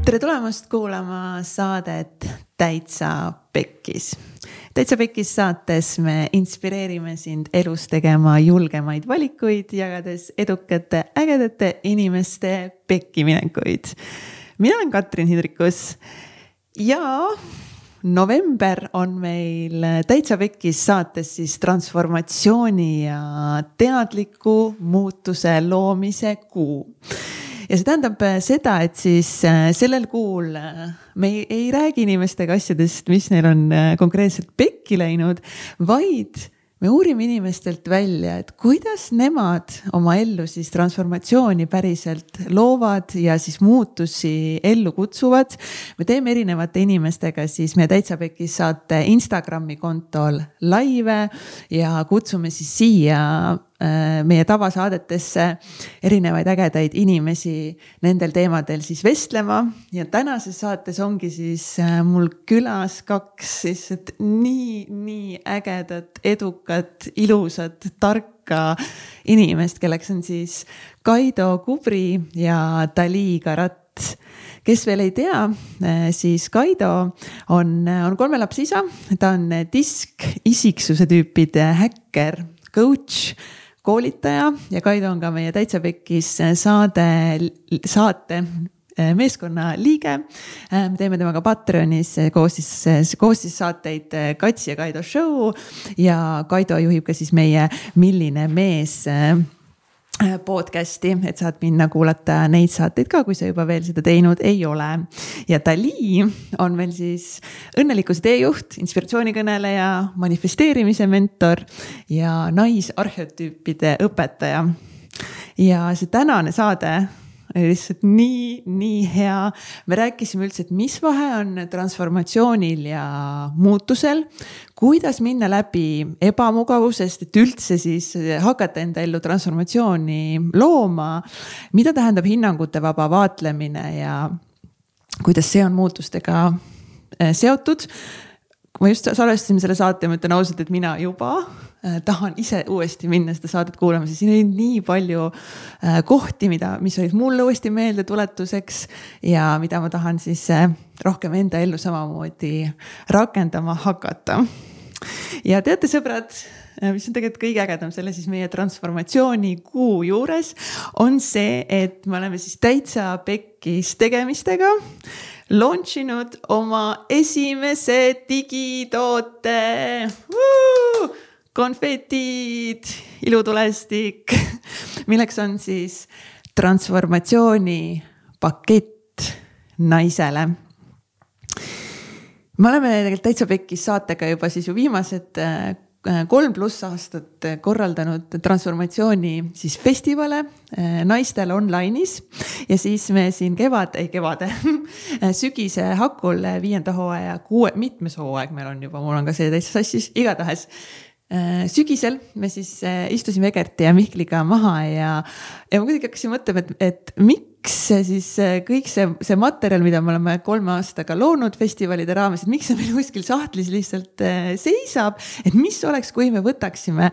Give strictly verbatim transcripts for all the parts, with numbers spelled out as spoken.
tere tulemast kuulama saadet Täitsa Pekkis. Täitsa Pekkis saates me inspireerime sind elus tegema julgemaid valikuid, jagades edukate, ägedate inimeste pekkiminekuid. Mina olen Katrin Hindrikus ja november on meil Täitsa Pekkis saates siis transformatsiooni ja teadliku muutuse loomise kuu. Ja see tähendab seda, et siis sellel kuul me ei, ei räägi inimestega asjadest, mis neil on konkreetselt pekki läinud, vaid me uurime inimestelt välja, et kuidas nemad oma ellu siis transformatsiooni päriselt loovad ja siis muutusi ellu kutsuvad. Me teeme erinevate inimestega siis meie Täitsa Pekkis saate Instagrami kontol laive ja kutsume siis siia meie tavasaadetesse erinevaid ägedaid inimesi nendel teemadel siis vestlema. Ja tänases saates ongi siis mul külas kaks siis nii, nii ägedat, edukat, ilusat, tarka inimest, kelleks on siis Kaido Kubri ja Dali Karat. Kes veel ei tea, siis Kaido on, on kolme lapse isa, ta on disk, isiksuse tüüpide häkker, coach, koolitaja ja Kaido on ka meie Täitsa Pekkis saade, saate meeskonna liige. Me teeme temaga Patreonis koostis, koostis saateid Katsi ja Kaido show ja Kaido juhib ka siis meie Milline mees podcasti, et saad minna kuulata neid saateid ka, kui sa juba veel seda teinud ei ole. Ja Dali on meil siis õnnelikkuse teejuht, inspiratsioonikõneleja, manifesteerimise mentor ja naisarheotüüpide õpetaja. Ja see tänane saade oli lihtsalt nii, nii hea. Me rääkisime üldse, et mis vahe on transformatsioonil ja muutusel, kuidas minna läbi ebamugavusest, et üldse siis hakata enda ellu transformatsiooni looma, mida tähendab hinnangute vaba vaatlemine ja kuidas see on muutustega seotud. Ma just salvestasin selle saate ja ma ütlen ausalt, et mina juba tahan ise uuesti minna seda saadet kuulama, sest siin oli nii palju kohti, mida, mis olid mulle uuesti meelde tuletuseks ja mida ma tahan siis rohkem enda ellu samamoodi rakendama hakata. Ja teate sõbrad, mis on tegelikult kõige ägedam selle siis meie transformatsiooni kuu juures, on see, et me oleme siis Täitsa Pekkis tegemistega launchinud oma esimese digitoote. Woo! Konfetid, ilutulestik, milleks on siis transformatsiooni pakett naisele. Me oleme tegelikult Täitsa Pekkis saatega juba siis ju viimased kolm pluss aastat korraldanud transformatsiooni siis festivale naistel online'is ja siis me siin kevad, ei kevade, sügise hakul viienda hooaja, kuue, mitmes hooaeg meil on juba, mul on ka see täitsa sassis, igatahes sügisel me siis istusime Egerti ja Mihkliga maha ja, ja ma kuidagi hakkasin mõtlema, et, et miks siis kõik see, see materjal, mida me oleme kolme aastaga loonud festivalide raames, et miks see meil kuskil sahtlis lihtsalt seisab, et mis oleks, kui me võtaksime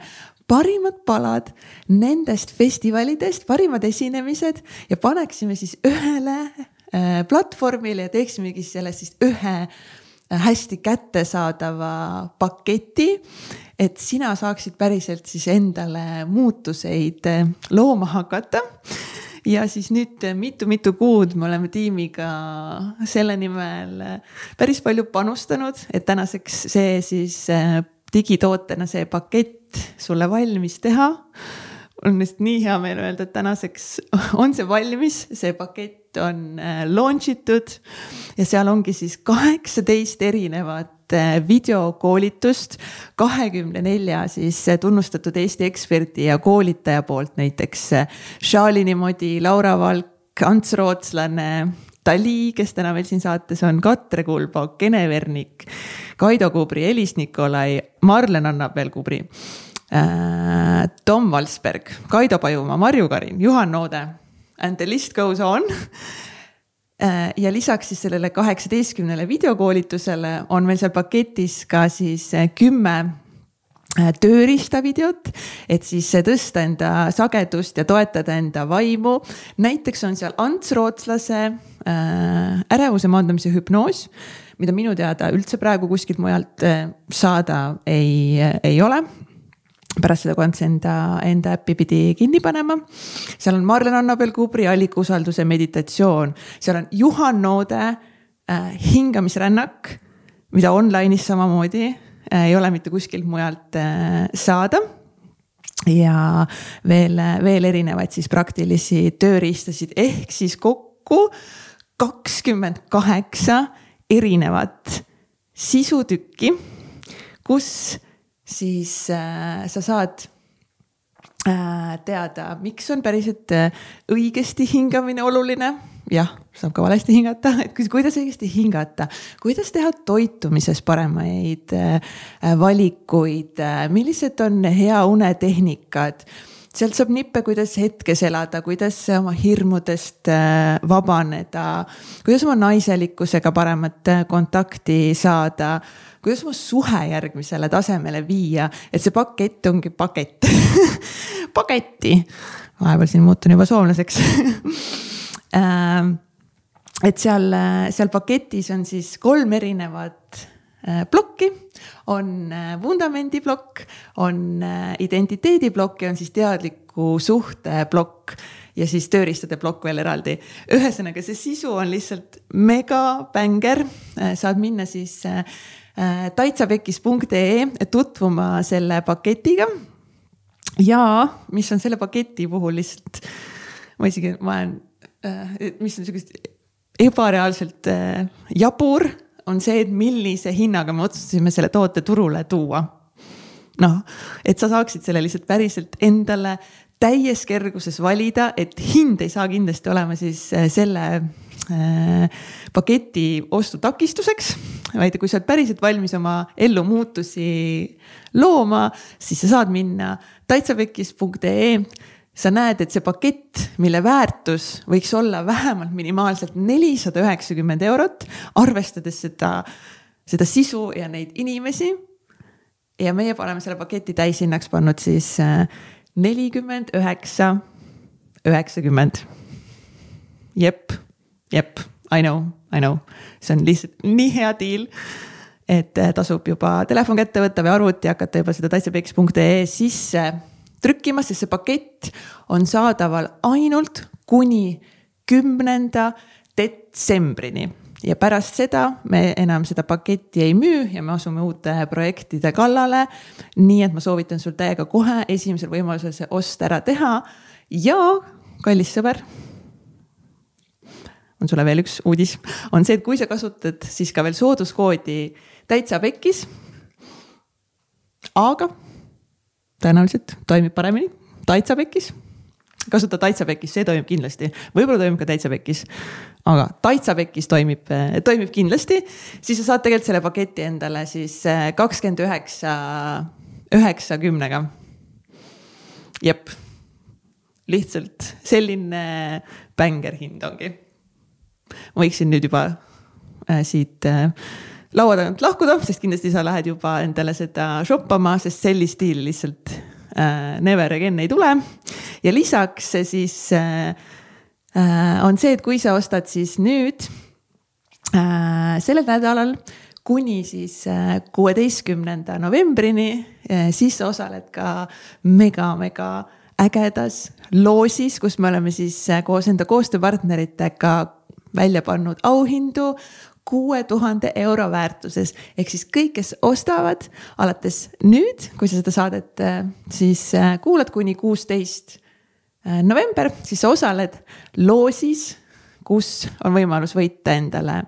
parimad palad nendest festivalidest, parimad esinemised ja paneksime siis ühele platvormile ja teeksimegi sellest siis ühe hästi kättesaadava paketi, et sina saaksid päriselt siis endale muutuseid looma hakata. Ja siis nüüd mitu-mitu kuud me oleme tiimiga selle nimel päris palju panustanud, et tänaseks see siis digitootena see pakett sulle valmis teha. On vist nii hea meel öelda, et tänaseks on see valmis, see pakett on launchitud ja seal ongi siis kaheksateist erinevat videokoolitust, kahekümne nelja siis tunnustatud Eesti eksperti ja koolitaja poolt, näiteks Shalini Modi, Laura Valk, Ants Rootslane, Dali, kes täna meil siin saates on, Katre Kulbo, Kene Vernik, Kaido Kubri, Elis Nikolai, Marlen Annabel Kubri, Tom Valsberg, Kaido Pajumaa, Marju Karin, Juhan Noode and the list goes on. Ja lisaks siis sellele kaheksateistkümnele videokoolitusele on meil seal paketis ka siis kümme tööriistavideot, et siis tõsta enda sagedust ja toetada enda vaimu. Näiteks on seal Ants Rootslase ärevuse maandamise hüpnoos, mida minu teada üldse praegu kuskilt mujalt saada ei, ei ole. Pärast seda, kui Ants enda, enda äppi pidi kinni panema. Seal on Marlen Annabel-Kubri allikuusalduse meditatsioon. Seal on Juhan Noode äh, hingamisrännak, mida online'is samamoodi ei ole mitte kuskilt mujalt saada ja veel, veel erinevaid siis praktilisi tööriistasid ehk siis kokku kakskümmend kaheksa erinevat sisutükki, kus siis äh, sa saad äh, teada, miks on päriselt õigesti hingamine oluline. Jah, saab ka valesti hingata, et kuidas õigesti hingata, kuidas teha toitumises paremaid valikuid, millised on hea unetehnikad. Sealt saab nippe, kuidas hetkes elada, kuidas oma hirmudest vabaneda, kuidas oma naiselikkusega paremat kontakti saada, kuidas oma suhe järgmisele tasemele viia, et see pakett ongi pakett. Paketti. Vahepeal siin muutun juba soomlaseks. Et seal, seal paketis on siis kolm erinevat plokki, on vundamendi plokk, on identiteedi plokk ja on siis teadliku suhte plokk ja siis tööriistade plokk veel eraldi. Ühesõnaga see sisu on lihtsalt mega bänger, saad minna siis taitsapekis punkt ee tutvuma selle paketiga ja mis on selle paketi puhul lihtsalt, ma isegi, ma olen mis on sellised ebareaalselt jabur, on see, et millise hinnaga me otsustasime selle toote turule tuua. Noh, et sa saaksid selle lihtsalt päriselt endale täies kerguses valida, et hind ei saa kindlasti olema siis selle paketi ostu takistuseks, vaid kui sa oled päriselt valmis oma ellu muutusi looma, siis sa saad minna taitsapekis punkt ee. Sa näed, et see pakett, mille väärtus võiks olla vähemalt minimaalselt nelisada üheksakümmend eurot, arvestades seda, seda sisu ja neid inimesi. Ja meie paneme selle paketi täishinnaks pannud siis nelikümmend üheksa üheksakümmend. Jep, jep, I know, I know. See on lihtsalt nii hea deal, et tasub juba telefon kätte võtta või arvuti ja hakata juba seda taitsapekis punkt ee sisse trükkima, sest see pakett on saadaval ainult kuni kümnenda detsembrini. Ja pärast seda me enam seda paketti ei müü ja me asume uute projektide kallale. Nii et ma soovitan sul täiega kohe esimesel võimalusel see ost ära teha. Ja kallis sõber, on sulle veel üks uudis, on see, et kui sa kasutad siis ka veel sooduskoodi täitsapekis, aga tõenäoliselt toimib paremini taitsapekis. Kasuta taitsapekis, see toimib kindlasti. Võib-olla toimib ka täitsapekis, aga taitsapekis toimib, toimib kindlasti. Siis sa saad tegelikult selle paketi endale siis kakskümmend üheksa üheksakümnega. Jep, lihtsalt selline bänger hind ongi. Ma võiksin nüüd juba siit laua tagant lahkuda, sest kindlasti sa lähed juba endale seda shoppama, sest sellist stiili lihtsalt äh, never again ei tule. Ja lisaks siis äh, on see, et kui sa ostad siis nüüd äh, sellel nädalal kuni siis äh, kuueteistkümnenda novembrini, äh, siis sa osaled ka mega, mega ägedas loosis, kus me oleme siis äh, koos enda koostööpartneritega välja pannud auhindu kuue tuhande euro väärtuses. Ehk siis kõik, kes ostavad alates nüüd, kui sa seda saadet siis kuulad kuni kuusteist november, siis sa osaled loosis, kus on võimalus võita endale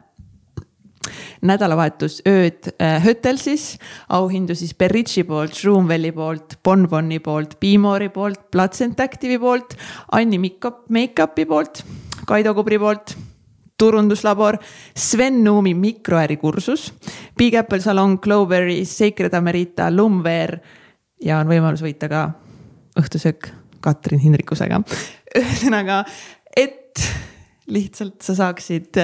nädalavahetus ööd Hötelsis, auhindu siis Berritši poolt, Shroomwelli poolt, Bonboni poolt, Beamori poolt, Placent Active'i poolt, Anni Makeupi poolt, Kaido Kubri poolt, Turunduslabor, Sven Nuumi mikroärikursus, Big Apple Salon, Clovery, Sacred Amerita, Lumwear ja on võimalus võita ka õhtusöök Katrin Hindrikusega. Ühesõnaga, et lihtsalt sa saaksid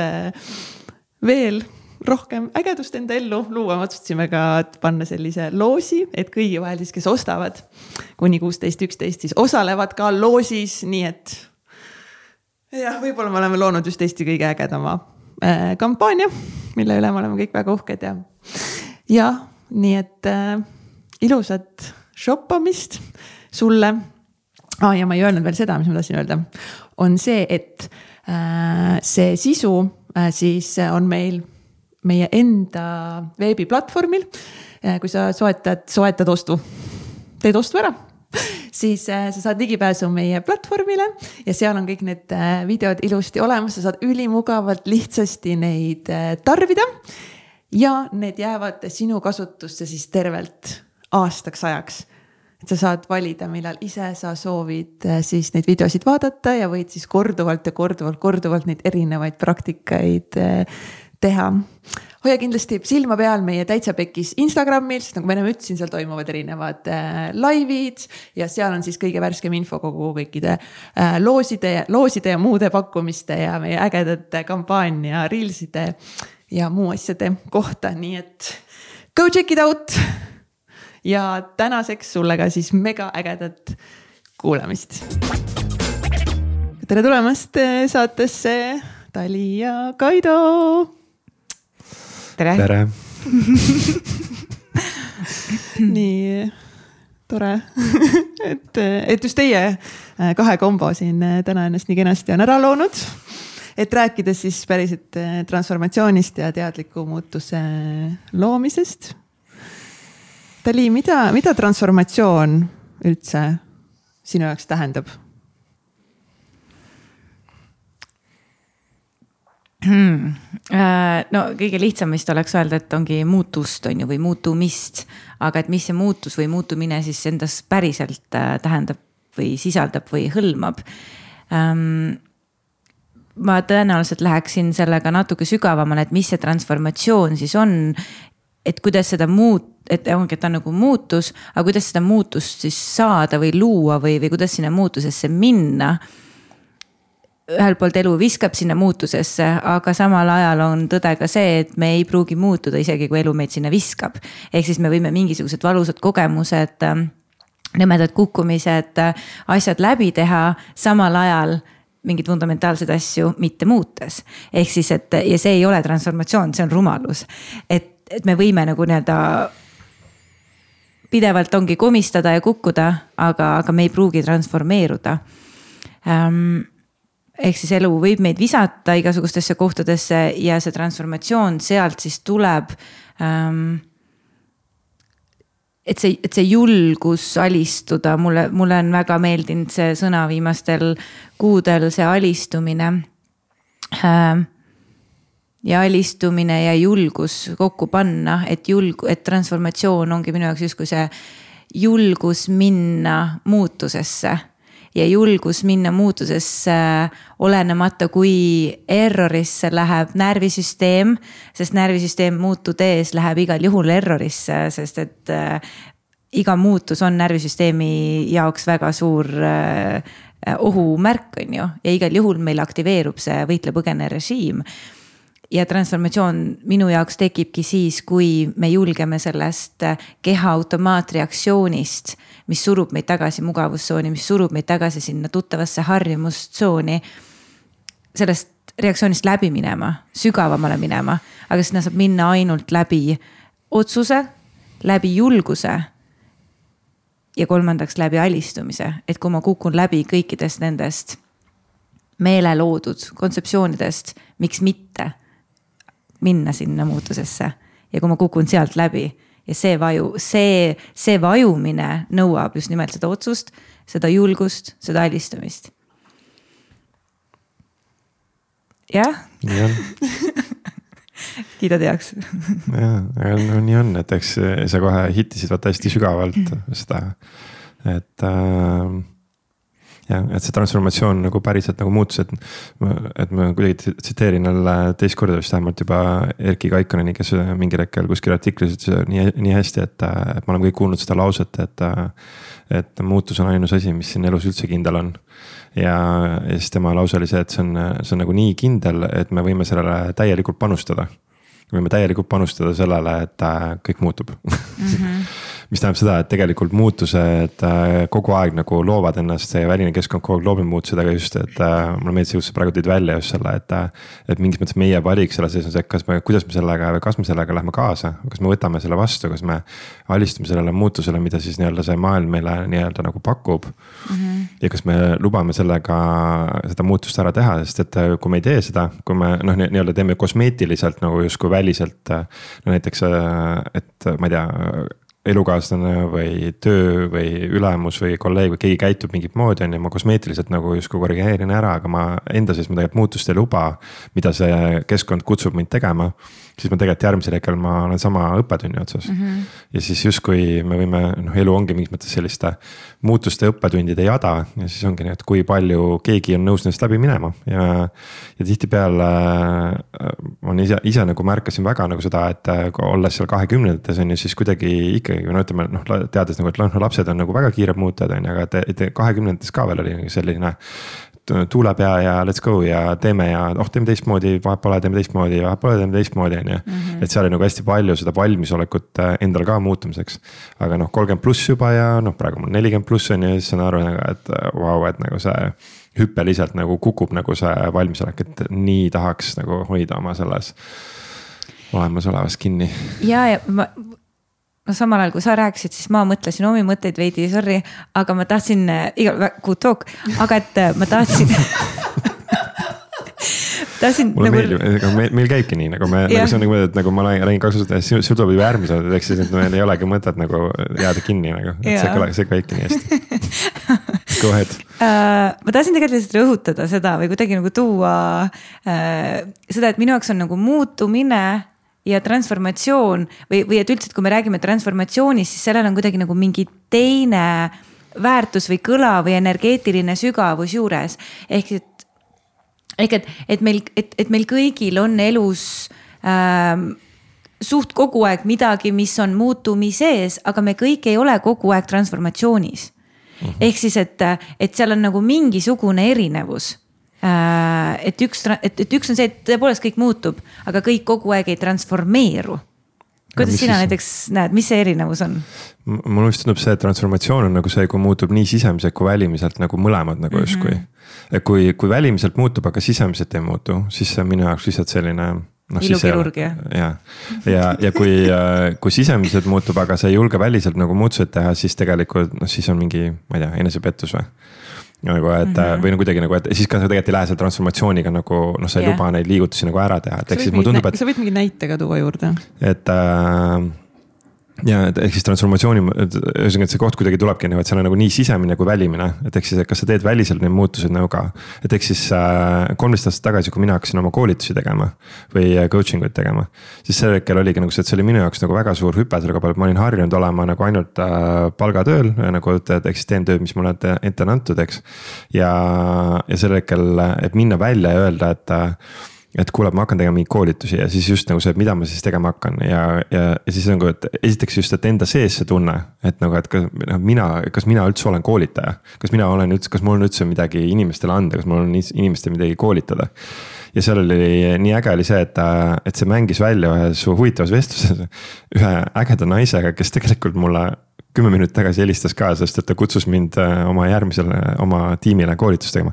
veel rohkem ägedust enda ellu luua, me otsustasime ka panna sellise loosi, et kõigi vahel siis, kes ostavad kuni kuusteist üksteist, siis osalevad ka loosis, nii et jah, võib-olla me oleme loonud just Eesti kõige ägedama äh, kampaania, mille üle me oleme kõik väga uhked ja, ja nii et äh, ilusat shoppamist sulle. Ah, ja ma ei öelnud veel seda, mis ma tahtsin öelda, on see, et äh, see sisu äh, siis on meil meie enda veebiplatvormil. Äh, kui sa soetad, soetad ostu, teed ostu ära, siis äh, sa saad ligipääsu meie platvormile ja seal on kõik need äh, videod ilusti olemas, sa saad ülimugavalt lihtsasti neid äh, tarbida ja need jäävad sinu kasutusse siis tervelt aastaks ajaks. Et sa saad valida, millal ise sa soovid siis neid videosid vaadata ja võid siis korduvalt ja korduvalt, korduvalt neid erinevaid praktikaid teha. Hoia kindlasti silma peal meie Täitsa Pekkis Instagramil, sest nagu ma ennem ütlesin, seal toimuvad erinevad laivid ja seal on siis kõige värskem info kogu kõikide looside, looside ja muude pakkumiste ja meie ägedate kampaania, reelside ja muu asjade kohta. Nii et go check it out! Ja tänaseks sulle ka siis mega ägedat kuulamist. Tere tulemast saatesse Tali ja Kaido. Tere. Tere. Nii tore, et, et just teie kahe kombo siin täna ennast nii kenasti on ära loonud. Et rääkides siis päriselt transformatsioonist ja teadliku muutuse loomisest. Tali, mida, mida transformatsioon üldse sinu jaoks tähendab? Hmm. No kõige lihtsam vist oleks öelda, et ongi muutust on ju, või muutumist, aga et mis see muutus või muutumine siis endas päriselt tähendab või sisaldab või hõlmab. Ma tõenäoliselt läheksin sellega natuke sügavamale, et mis see transformatsioon siis on, et kuidas seda muut, et ongi, et ta on nagu muutus, aga kuidas seda muutust siis saada või luua või, või kuidas sinna muutusesse minna. Ühel poolt elu viskab sinna muutusesse, aga samal ajal on tõde ka see, et me ei pruugi muutuda isegi, kui elu meid sinna viskab. Ehk siis me võime mingisugused valusad kogemused, nõmedad kukkumised, asjad läbi teha samal ajal mingid fundamentaalsed asju mitte muutes. Ehk siis, et ja see ei ole transformatsioon, see on rumalus. Et et me võime nagu nii-öelda pidevalt ongi komistada ja kukkuda, aga, aga me ei pruugi transformeeruda. Ähm, ehk siis elu võib meid visata igasugustesse kohtadesse ja see transformatsioon sealt siis tuleb, ähm, et see, et see julgus alistuda, mulle, mulle on väga meeldinud see sõna viimastel kuudel, see alistumine. Ähm, ja alistumine ja julgus kokku panna, et, julg, et transformatsioon ongi minu jaoks justkui see julgus minna muutusesse ja julgus minna muutusesse olenemata, kui errorisse läheb närvisüsteem, sest närvisüsteem muutudes läheb igal juhul errorisse, sest et äh, iga muutus on närvisüsteemi jaoks väga suur äh, ohumärk on ju ja igal juhul meil aktiveerub see võitle-põgene režiim. Ja transformatsioon minu jaoks tekibki siis, kui me julgeme sellest keha automaatreaktsioonist, mis surub meid tagasi mugavustsooni, mis surub meid tagasi sinna tuttavasse harjumustsooni, sellest reaktsioonist läbi minema, sügavamale minema, aga sinna saab minna ainult läbi otsuse, läbi julguse ja kolmandaks läbi alistumise, et kui ma kukun läbi kõikidest nendest meele loodud kontseptsioonidest, miks mitte minna sinna muutusesse ja kui ma kukun sealt läbi ja see vaju, see, see vajumine nõuab just nimelt seda otsust, seda julgust, seda alistumist. Jah? Nii on. Kiidad heaks. Jaa, aga no, nii on, et eks sa kohe hittisid vaata hästi sügavalt seda, et äh, ja, et see transformatsioon nagu päriselt nagu muutus, et, et ma kuidagi tsiteerin jälle teist korda vist vähemalt juba Erki Kaikkoneni, kes mingi rekkel kuskil artiklis ütles nii, nii hästi, et, et ma olen kõik kuulnud seda lauset, et, et muutus on ainus asi, mis siin elus üldse kindel on. Ja, ja siis tema lause oli see, et see on, see on nagu nii kindel, et me võime sellele täielikult panustada. võime täielikult panustada sellele, et kõik muutub mm-hmm. mis tähendab seda, et tegelikult muutused kogu aeg nagu loovad ennast, see väline keskkond kogu aeg loobib muutused, aga just, et mulle meeldis just praegu tõid välja just selle, et, et mingis mõttes meie valik selle sees on see, kas me, kuidas me sellega või kas me sellega lähme kaasa, kas me võtame selle vastu, kas me alistume sellele muutusele, mida siis nii-öelda see maailm meile nii-öelda nagu pakub mm-hmm. ja kas me lubame sellega seda muutust ära teha, sest et kui me ei tee seda, kui me noh, nii-öelda teeme kosmeetiliselt nagu justkui väliselt, no näiteks, et ma ei tea, elukaaslane või töö või ülemus või kolleeg või keegi käitub mingit moodi on ja ma kosmeetiliselt nagu justkui korrigeerin ära, aga ma enda sees ma tegelikult muutust ei luba, mida see keskkond kutsub mind tegema, siis ma tegelikult järgmisel hetkel ma olen sama õppetunni otsas mm-hmm. ja siis justkui me võime, noh elu ongi mingis mõttes selliste muutuste õppetundide jada ja siis ongi nii, et kui palju keegi on nõus neist läbi minema ja, ja tihtipeale ma ise, ise nagu märkasin väga nagu seda, et olles seal kahekümnendates on ju siis kuidagi ikkagi, no ütleme, noh teades nagu, et lapsed on nagu väga kiired muutujad on ju, aga et kahekümnendates ka veel oli selline tuule pea ja let's go ja teeme ja oh, teeme teistmoodi, vahepeal teeme teistmoodi ja vahepeal teeme teistmoodi on ju. Et seal oli nagu hästi palju seda valmisolekut endal ka muutumiseks. Aga noh, kolmkümmend pluss juba ja noh, praegu mul nelikümmend pluss on ja siis saan aru, et vau, wow, et nagu see hüppeliselt nagu kukub nagu see valmisolek, et nii tahaks nagu hoida oma selles olemas olevas kinni. Ja, ja ma... no samal ajal, kui sa rääkisid, siis ma mõtlesin omi mõtteid veidi, sorry, aga ma tahtsin, iga, good talk, aga et ma tahtsin tahtsin mulle nagu... meeldib, meil, meil käibki nii, nagu me, nagu see on nagu, et nagu ma räägin kaks aastat, sul tuleb juba äärmised, et eks siis, et meil ei olegi mõtet nagu jääda kinni, nagu, et see, see käibki nii hästi. Go ahead. Uh, ma tahtsin tegelikult lihtsalt rõhutada seda või kuidagi nagu tuua uh, seda, et minu jaoks on nagu muutumine ja transformatsioon või, või et üldse, et kui me räägime transformatsioonist, siis sellel on kuidagi nagu mingi teine väärtus või kõla või energeetiline sügavus juures. Ehk et, ehk et, et, meil, et, et meil kõigil on elus ähm, suht kogu aeg midagi, mis on muutumises, aga me kõik ei ole kogu aeg transformatsioonis. Mm-hmm. Ehk siis, et, et seal on nagu mingisugune erinevus. Et üks, et, et üks on see, et tõepoolest kõik muutub, aga kõik kogu aeg ei transformeeru. Kuidas sina siis... näiteks näed, mis see erinevus on? Mul just tundub see, et transformatsioon on nagu see, kui muutub nii sisemiselt kui välimiselt nagu mõlemad nagu mm-hmm. justkui. Kui, kui välimiselt muutub, aga sisemiselt ei muutu, siis see on minu jaoks lihtsalt selline... No, ilukirurgia. Ja, ja, ja kui, kui sisemiselt muutub, aga see ei julge väliselt nagu muutused teha, siis tegelikult no, siis on mingi, ma ei tea, enesepettus või? Nagu, et, mm-hmm. või no kuidagi nagu, et siis ka sa tegelikult ei lähe selle transformatsiooniga nagu, noh, sa ei yeah. luba neid liigutusi nagu ära teha. Et, siis, tundub, et, sa võid mingi näitega tuua juurde. Et äh, ja ehk siis transformatsiooni, ühesõnaga, et see koht kuidagi tulebki, et seal on nagu nii sisemine kui välimine, et ehk siis, et kas sa teed väliselt neid muutused nagu ka, et ehk siis kolmteist aastat tagasi, kui mina hakkasin oma koolitusi tegema või coaching uid tegema, siis sel hetkel oligi nagu see, et see oli minu jaoks nagu väga suur hüpe selle koha, et ma olin harjunud olema nagu ainult palgatööl, nagu ehk siis teen tööd, mis mulle ette on antud, eks. Ja, ja sel hetkel, et minna välja ja öelda, et et kuule, ma hakkan tegema mingeid koolitusi ja siis just nagu see, et mida ma siis tegema hakkan ja, ja, ja siis nagu, et esiteks just, et enda sees see tunne, et nagu, et kas mina, kas mina üldse olen koolitaja, kas mina olen üldse, kas mul on üldse midagi inimestele anda, kas mul on inimestele midagi koolitada. Ja seal oli nii äge oli see, et, et see mängis välja ühes huvitavas vestluses ühe ägeda naisega, kes tegelikult mulle kümme minutit tagasi helistas ka, sest et ta kutsus mind oma järgmisele, oma tiimile koolitust tegema.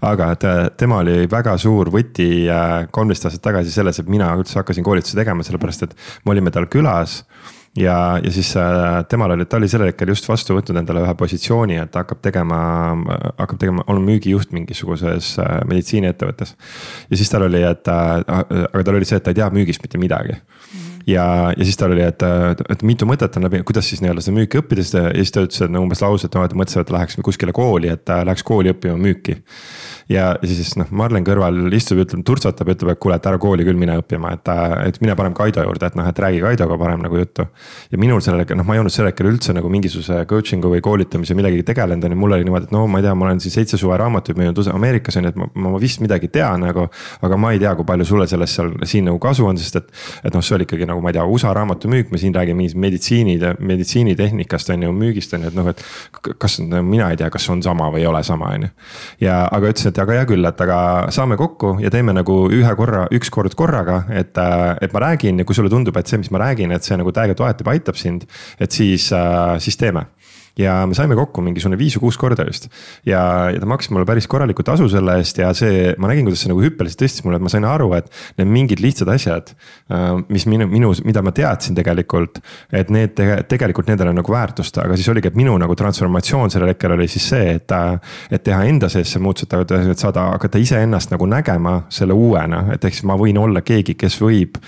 Aga tema oli väga suur võti kolmteist aastat tagasi selles, et mina üldse hakkasin koolitusi tegema, sellepärast et me olime tal külas. Ja, ja siis temal oli, ta oli selle hetkel just vastu võtnud endale ühe positsiooni, et hakkab tegema, hakkab tegema, olema müügijuht mingisuguses meditsiiniettevõttes. Ja siis tal oli, et, aga tal oli see, et ta ei tea müügist mitte midagi. Ja, ja siis tal oli, et, et mitu mõtet on läbi, kuidas siis nii-öelda seda müüki õppides ja siis ta ütles, et no, umbes lause, et no, et mõtlesin, et läheks kuskile kooli, et läheks kooli õppima müüki. Ja siis noh, Marlen kõrval istub, ütleb, turtsatab, ütleb, et kuule, et ära kooli küll mine õppima, et, et mine parem Kaido juurde, et noh, et räägi Kaidoga parem nagu juttu. Ja minul selle, noh, ma ei olnud selle hetkel üldse nagu mingisuguse coachingu või koolitamise midagi tegelenud, ja mul oli niimoodi, et no ma ei tea, ma olen siis seitse suve raamatuid müünud Ameerikas, et ma, ma vist midagi tean nagu, aga ma ei tea, kui palju sulle sellest seal siin nagu kasu on, sest et, et noh, see oli ikkagi nagu, ma ei tea, U S A raamatu müük, me siin räägime mingis meditsiinid, meditsiinitehnikast on ju, müügist on ju, et noh, et kas mina ei tea, kas on sama või ei ole sama, on ju. Ja aga ütles, et aga hea küll, et aga saame kokku ja teeme nagu ühe korra, üks kord korraga, et, et ma räägin ja kui sulle tundub, et see, mis ma räägin, et see nagu täiega toetab, aitab sind, et siis, siis teeme. Ja me saime kokku mingisugune viis või kuus korda just. Ja, ja ta maksis mulle päris korraliku tasu selle eest ja see, ma nägin, kuidas see nagu hüppeliselt tõstis mulle, et ma sain aru, et need mingid lihtsad asjad, mis minu, minu, mida ma teadsin tegelikult, et need tegelikult nendele nagu väärtust, aga siis oligi, et minu nagu transformatsioon sellel hetkel oli siis see, et, et teha enda sees see muutused, et saada hakata iseennast nagu nägema selle uuena, et ehk siis ma võin olla keegi, kes võib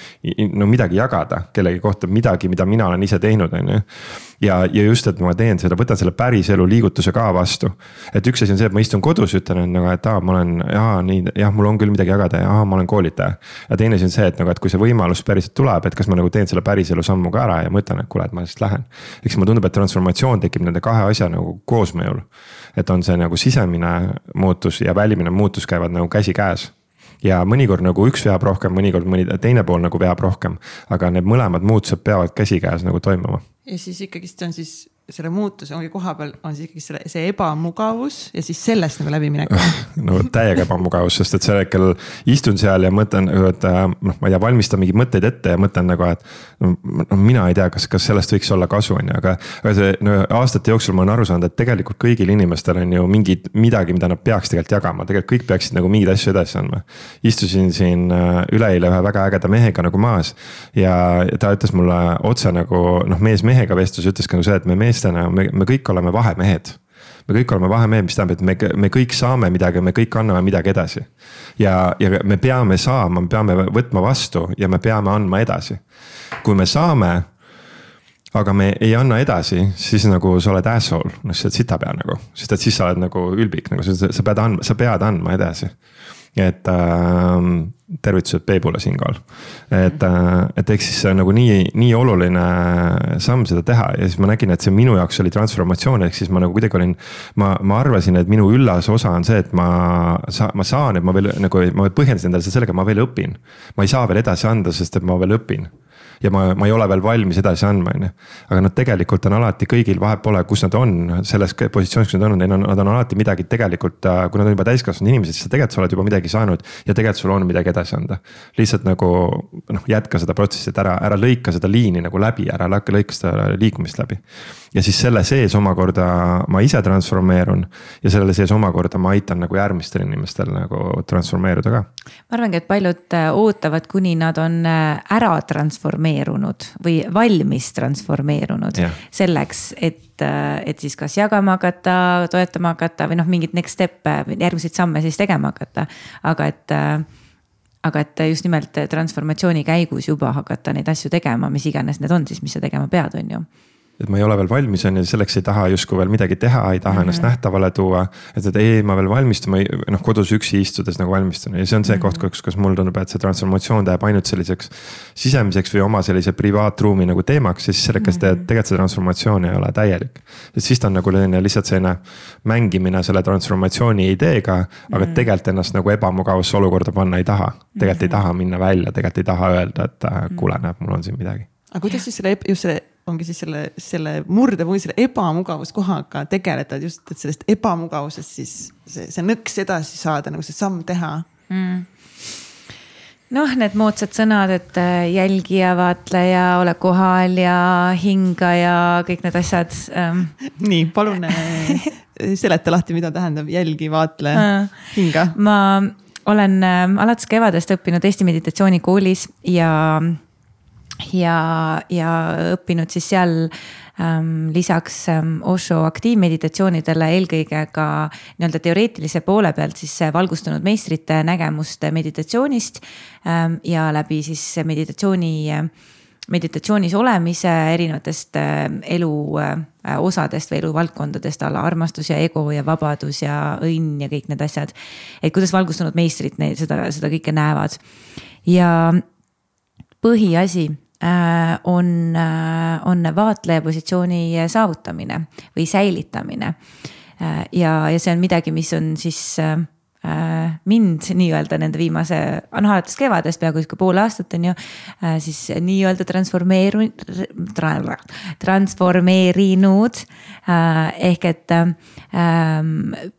no midagi jagada kellegi kohta, midagi, mida mina olen ise teinud, on ju. Ja, ja just, et ma teen seda, võtan selle päris elu liigutuse ka vastu. Et üks asi on see, et ma istun kodus, ütlen, et, et aa, ma olen, jaa, nii, jah, mul on küll midagi jagada ja aa, ma olen koolitaja. Ja teine asi on see, et, nagu, et kui see võimalus päriselt tuleb, et kas ma nagu teen selle päris elu sammu ka ära ja mõtlen, et kuule, et ma siis lähen. Eks ma tundub, et transformatsioon tekib nende kahe asja nagu koosmõjul. Et on see nagu sisemine muutus ja välimine muutus käivad nagu käsi käes. Ja mõnikord nagu üks veab rohkem, mõnikord mõni teine pool nagu veab rohkem, aga need mõlemad muutused peavad käsikäes nagu toimuma. Ja siis ikkagist on siis selle muutuse ongi koha peal on siis ikkagi selle, see ebamugavus ja siis sellest nagu läbi minek. No täiega ebamugavus, sest et see hetkel istun seal ja mõtlen, et noh, ma ei tea, valmistan mingi mõtteid ette ja mõtlen nagu, et no, mina ei tea, kas, kas sellest võiks olla kasu, on ju, aga, aga see no, aastate jooksul ma olen aru saanud, et tegelikult kõigil inimestel on ju mingid, midagi, mida nad peaks tegelikult jagama, tegelikult kõik peaksid nagu mingid asju edasi andma. Istusin siin üleeile ühe väga ägeda mehega nagu maas ja ta ütles mulle otse nagu, noh, mees mehega vestlus ütles ka see, et me mees Me, me kõik oleme vahemehed. Me kõik oleme vahemehed, mis tähendab, et me, me kõik saame midagi, me kõik anname midagi edasi. Ja, ja me peame saama, me peame võtma vastu ja me peame andma edasi. Kui me saame, aga me ei anna edasi, siis nagu sa oled asshole, no sa oled sitapea nagu. Sest et siis sa oled nagu ülbik, nagu sa, sa, pead andma, sa pead andma edasi. Et äh, tervitused Peebule siinkohal. Et, äh, et eks siis see on nagu nii, nii oluline samm seda teha ja siis ma nägin, et see minu jaoks oli transformatsioon, ehk siis ma nagu kuidagi olin, ma, ma arvasin, et minu üllas osa on see, et ma, sa, ma saan, et ma veel nagu, ma põhjendasin endale sellega, ma veel õpin. Ma ei saa veel edasi anda, sest et ma veel õpin. Ja ma, ma ei ole veel valmis edasi andma, on. Aga nad tegelikult on alati kõigil vahet pole, kus nad on, selles positsioonis, kus nad on, nad on alati midagi tegelikult, kui nad on juba täiskasvanud inimesed, siis tegelikult sa oled juba midagi saanud ja tegelikult sul on midagi edasi anda. Lihtsalt nagu noh, jätka seda protsessi, et ära, ära lõika seda liini nagu läbi, ära lõika seda liikumist läbi. Ja siis selle sees omakorda ma ise transformeerun ja selle sees omakorda ma aitan nagu järgmistel inimestel nagu transformeeruda ka. Ma arvangi, et paljud ootavad, kuni nad on ära transformeerunud või valmis transformeerunud yeah. selleks, et, et siis kas jagama hakata, toetama hakata või noh, mingid next step, järgmiseid samme siis tegema hakata. Aga et, aga et just nimelt transformatsiooni käigus juba hakata neid asju tegema, mis iganes need on siis, mis sa tegema pead, on ju. Et ma ei ole veel valmis, on ja selleks ei taha justkui veel midagi teha, ei taha mm-hmm. ennast nähtavale tuua. Et, et ei, ma veel valmistun, noh, kodus üksi istudes nagu valmistun. Ja see on see mm-hmm. koht, kus, kus mul tundub, et see transformatsioon teeb ainult selliseks sisemiseks või oma sellise privaatruumi nagu teemaks. Ja siis selleks mm-hmm. tegelikult see transformatsioon ei ole täielik. Et siis ta on nagu lihtsalt selline mängimine selle transformatsiooni ideega, aga mm-hmm. tegelikult ennast nagu ebamugavusse olukorda panna ei taha. Tegelikult mm-hmm. ei taha minna välja, tegelikult ei taha öelda, et kuule, näeb, mul on siin midagi. Aga kuidas siis selle, just selle, ongi siis selle, selle murde või selle ebamugavuskohaga tegeletad just, et sellest ebamugavusest siis see, see nõks edasi saada, nagu see samm teha mm.? Noh, need moodsad sõnad, et jälgija, vaatleja, ole kohal ja hinga ja kõik need asjad. Nii, palun seleta lahti, mida tähendab jälgi, vaatle, hinga. Ma olen alates kevadest õppinud Eesti meditatsioonikoolis ja ja, ja õppinud siis seal ähm, lisaks ähm, Osho aktiivmeditatsioonidele eelkõige ka nii-öelda teoreetilise poole pealt siis valgustunud meistrite nägemust meditatsioonist ähm, ja läbi siis meditatsiooni, meditatsioonis olemise erinevatest äh, elu äh, osadest või eluvaldkondadest alla armastus ja ego ja vabadus ja õnn ja kõik need asjad. Et kuidas valgustunud meistrid neid, seda, seda kõike näevad. Ja põhiasi on, on vaatleja positsiooni saavutamine või säilitamine. Ja, ja see on midagi, mis on siis mind nii-öelda nende viimase, on alates kevadest peaaegu ka pool aastat on ju, siis nii-öelda transformeeru, transformeerinud ehk et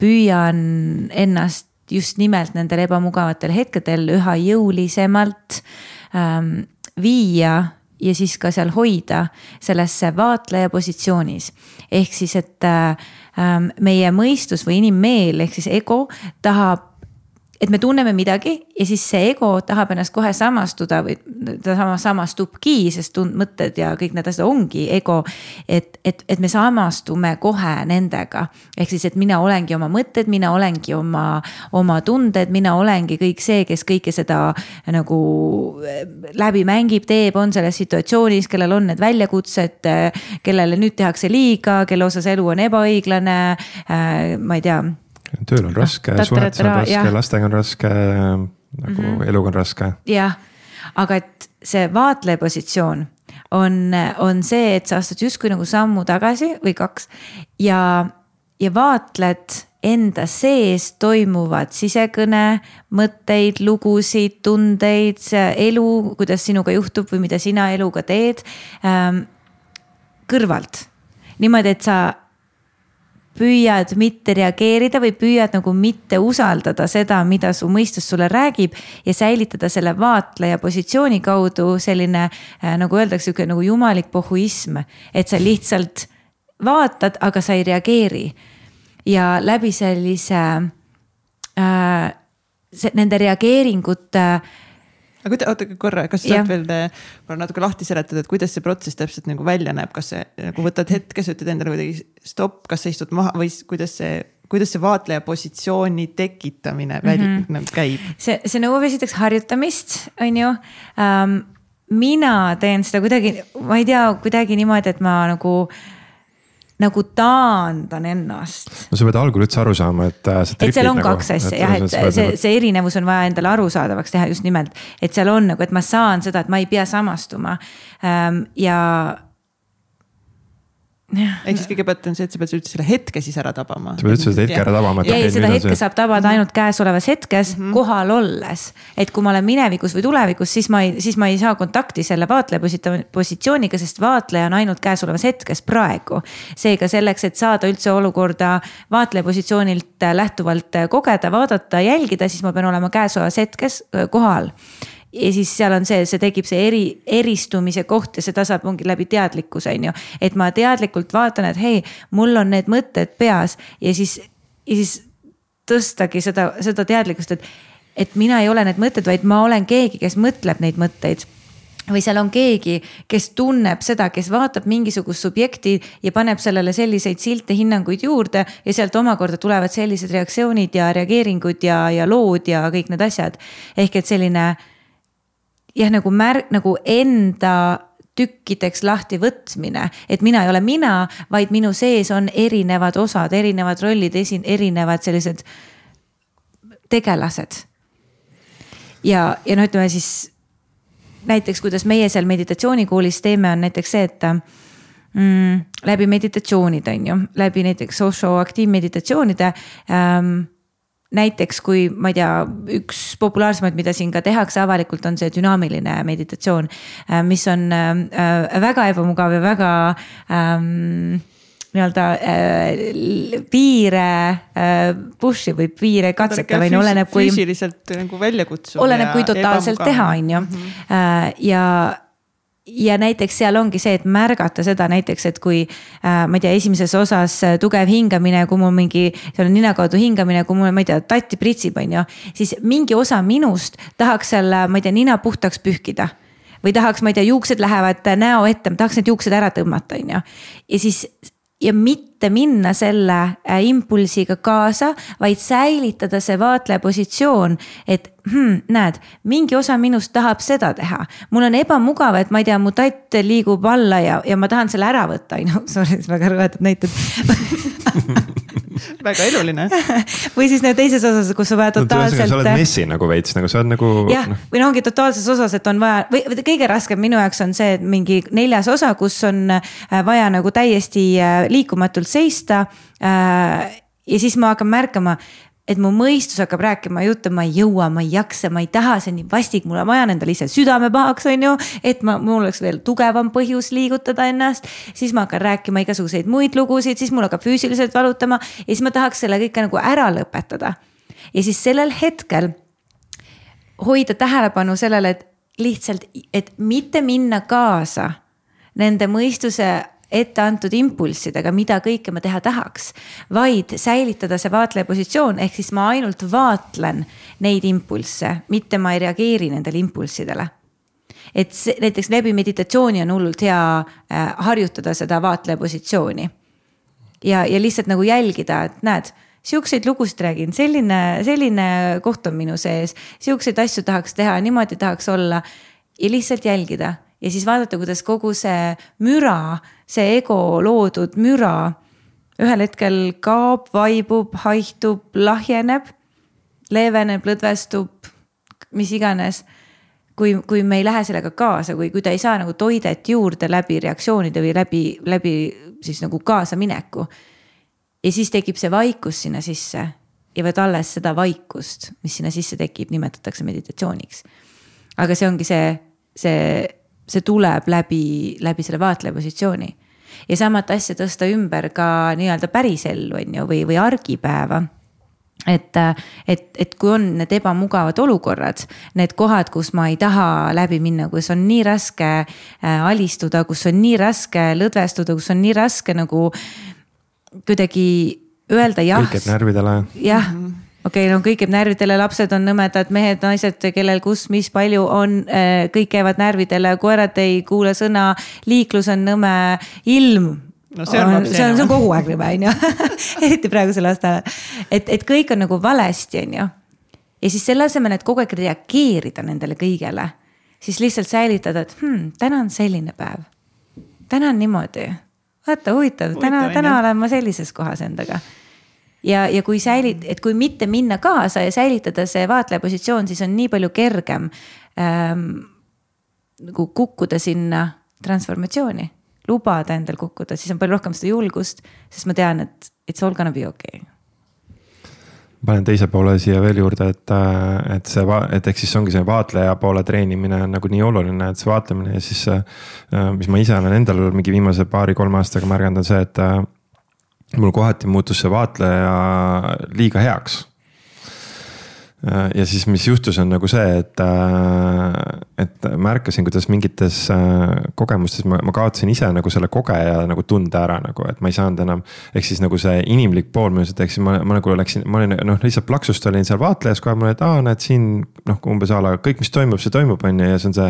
püüan ennast just nimelt nendel ebamugavatel hetkedel üha jõulisemalt ähm, viia ja siis ka seal hoida sellesse vaatleja positsioonis. Ehk siis, et ähm, meie mõistus või inimmeel ehk siis ego tahab, et me tunneme midagi ja siis see ego tahab ennast kohe samastuda või ta sama samastubki, sest tund, mõtted ja kõik need asjad ongi ego, et, et, et me samastume kohe nendega. Ehk siis, et mina olengi oma mõtted, mina olengi oma, oma tunded, mina olengi kõik see, kes kõike seda nagu läbi mängib, teeb, on selles situatsioonis, kellel on need väljakutsed, kellele nüüd tehakse liiga, kelle osas elu on ebaõiglane, ma ei tea, tööl on raske, suhetes on raske, lastega on raske, nagu mm-hmm. eluga on raske. Jah, aga et see vaatleja positsioon on, on see, et sa astud justkui nagu sammu tagasi või kaks ja, ja vaatled enda sees toimuvad sisekõne, mõtteid, lugusid, tundeid, elu, kuidas sinuga juhtub või mida sina eluga teed ähm, kõrvalt. Niimoodi, et sa püüad mitte reageerida või püüad nagu mitte usaldada seda, mida su mõistus sulle räägib ja säilitada selle vaatleja positsiooni kaudu selline, nagu öeldakse, nagu jumalik pohhuism, et sa lihtsalt vaatad, aga sa ei reageeri. Ja läbi sellise äh, se, nende reageeringute aga kuida, oota korra, kas sa saad veel korra natuke lahti seletada, et kuidas see protsess täpselt nagu välja näeb, kas see nagu võtad hetke, sa ütled endale kuidagi stopp, kas sa istud maha või kuidas see, kuidas see vaatleja positsiooni tekitamine välja mm -hmm. käib? See, see nõuab esiteks harjutamist, on ju. Um, mina teen seda kuidagi, ma ei tea, kuidagi niimoodi, et ma nagu nagu taandan ennast. No sa pead algul üldse aru saama, et sa tripid. Et seal on nagu, kaks asja, jah, et see, see, see erinevus on vaja endale arusaadavaks teha just nimelt. Et seal on nagu, et ma saan seda, et ma ei pea samastuma. Ja ehk siis kõigepealt on see, et sa pead üldse selle hetke siis ära tabama. Sa pead üldse seda hetke ära tabama. Ja seda hetke saab tabada ainult käesolevas hetkes mm -hmm. kohal olles. Et kui ma olen minevikus või tulevikus, siis ma ei, siis ma ei saa kontakti selle vaatleja positsiooniga, sest vaatleja on ainult käesolevas hetkes praegu. Seega selleks, et saada üldse olukorda vaatleja positsioonilt lähtuvalt kogeda, vaadata, jälgida, siis ma pean olema käesolevas hetkes kohal. Ja siis seal on see, see tekib see eri, eristumise koht ja seda saab ongi läbi teadlikkuse, on ju. Et ma teadlikult vaatan, et hei, mul on need mõtted peas ja siis, ja siis tõstagi seda, seda teadlikkust, et, et mina ei ole need mõtted, vaid ma olen keegi, kes mõtleb neid mõtteid. Või seal on keegi, kes tunneb seda, kes vaatab mingisugust subjekti ja paneb sellele selliseid silte hinnanguid juurde ja sealt omakorda tulevad sellised reaktsioonid ja reageeringud ja, ja lood ja kõik need asjad. Ehk et selline jah, nagu märk, nagu enda tükkideks lahti võtmine, et mina ei ole mina, vaid minu sees on erinevad osad, erinevad rollid, erinevad sellised tegelased. Ja, ja no ütleme siis näiteks, kuidas meie seal meditatsioonikoolis teeme, on näiteks see, et mm, läbi meditatsioonid on ju, läbi näiteks socio-aktiivmeditatsioonide ähm, näiteks kui ma ei tea, üks populaarsemaid, mida siin ka tehakse avalikult, on see dünaamiline meditatsioon, mis on väga ebamugav ja väga ähm, nii-öelda äh, piire äh, push'i või piire katseta või oleneb kui füüsiliselt nagu välja kutsuda. Oleneb kui totaalselt teha, on ju. Mm -hmm. äh, ja Ja näiteks seal ongi see, et märgata seda näiteks, et kui äh, ma ei tea, esimeses osas tugev hingamine, kui mul mingi, seal on nina kaudu hingamine, kui mul, ma ei tea, tatti pritsib, on ju, siis mingi osa minust tahaks seal, ma ei tea, nina puhtaks pühkida. Või tahaks, ma ei tea, juuksed lähevad näo ette, ma tahaks need juuksed ära tõmmata, on ju. Ja siis, ja mitte minna selle impulsiga kaasa, vaid säilitada see vaatleja positsioon, et hmm, näed, mingi osa minust tahab seda teha. Mul on ebamugav, et ma ei tea, mu tatt liigub alla ja, ja ma tahan selle ära võtta. No, sorry, väga rõvetud näitud. Väga eluline. Või siis need teises osas, kus sa vaja totaalselt. No, sa oled messi nagu veits, nagu sa oled nagu. Jah, no. Või no ongi totaalses osas, et on vaja, või kõige raskem minu jaoks on see, et mingi neljas osa, kus on vaja nagu täiesti liikumatult seista. Ja siis ma hakkan märkama, et mu mõistus hakkab rääkima jutte, ma ei jõua, ma ei jaksa, ma ei taha, see on nii vastik, mul on vaja endale ise südame pahaks, on ju, et ma, mul oleks veel tugevam põhjus liigutada ennast, siis ma hakkan rääkima igasuguseid muid lugusid, siis mul hakkab füüsiliselt valutama ja siis ma tahaks selle kõike nagu ära lõpetada. ja siis sellel hetkel hoida tähelepanu sellele, et lihtsalt, et mitte minna kaasa nende mõistuse ette antud impulssidega, mida kõike ma teha tahaks, vaid säilitada see vaatleja positsioon, ehk siis ma ainult vaatlen neid impulsse, mitte ma ei reageeri nendele impulssidele. Et see, näiteks läbi meditatsiooni on hullult hea äh, harjutada seda vaatleja positsiooni ja, ja lihtsalt nagu jälgida, et näed, siukseid lugusid räägin, selline, selline koht on minu sees, siukseid asju tahaks teha, niimoodi tahaks olla ja lihtsalt jälgida. Ja siis vaadata, kuidas kogu see müra, see ego loodud müra ühel hetkel kaob, vaibub, haihtub, lahjeneb, leeveneb, lõdvestub, mis iganes. Kui, kui me ei lähe sellega kaasa, kui, kui ta ei saa nagu toidet juurde läbi reaktsioonide või läbi, läbi siis nagu kaasa mineku. Ja siis tekib see vaikus sinna sisse ja võt alles seda vaikust, mis sinna sisse tekib, nimetatakse meditatsiooniks. Aga see ongi see, see, see tuleb läbi, läbi selle vaatleja positsiooni. Ja samat asja tõsta ümber ka nii-öelda päris ellu on ju, või, või argipäeva. Et, et, et kui on need ebamugavad olukorrad, need kohad, kus ma ei taha läbi minna, kus on nii raske alistuda, kus on nii raske lõdvestuda, kus on nii raske nagu kuidagi öelda jah. Kõik jääb närvidele. Jah, okei, okay, no kõik jääb närvidele, lapsed on nõmedad, mehed, naised, kellel kus, mis palju on, kõik käivad närvidele, koerad ei kuule sõna, liiklus on nõme, ilm. No see, on, see, on, see on kogu aeg nõme, on ju. Eriti praegusel aastal. Et, et kõik on nagu valesti, on ju. Ja siis selle asemel, et kogu aeg reageerida nendele kõigele, siis lihtsalt säilitada, et hmm, täna on selline päev. Täna on niimoodi. Vaata, huvitav, täna, täna olen ma sellises kohas endaga. Ja, ja kui säilit, et kui mitte minna kaasa ja säilitada see vaatleja positsioon, siis on nii palju kergem ähm, nagu kukkuda sinna transformatsiooni. Lubada endal kukkuda, siis on palju rohkem seda julgust, sest ma tean, et it's all gonna be okay. Panen teise poole siia veel juurde, et, et see, et eks siis ongi see vaatleja poole treenimine on nagu nii oluline, et see vaatlemine ja siis, mis ma ise olen endal mingi viimase paari-kolme aastaga märganud on see, et mul kohati muutus see vaatleja liiga heaks. Ja siis, mis juhtus on nagu see, et, et märkasin, kuidas mingites kogemustes ma, ma kaotasin ise nagu selle kogeja nagu tunde ära nagu, et ma ei saanud enam, ehk siis nagu see inimlik pool mõjused, ehk siis ma, ma nagu läksin, ma olin noh, lihtsalt plaksust olin seal vaatlejas kohe, ma olin, et aa, näed siin noh, umbes ala, kõik mis toimub, see toimub on ja see on see,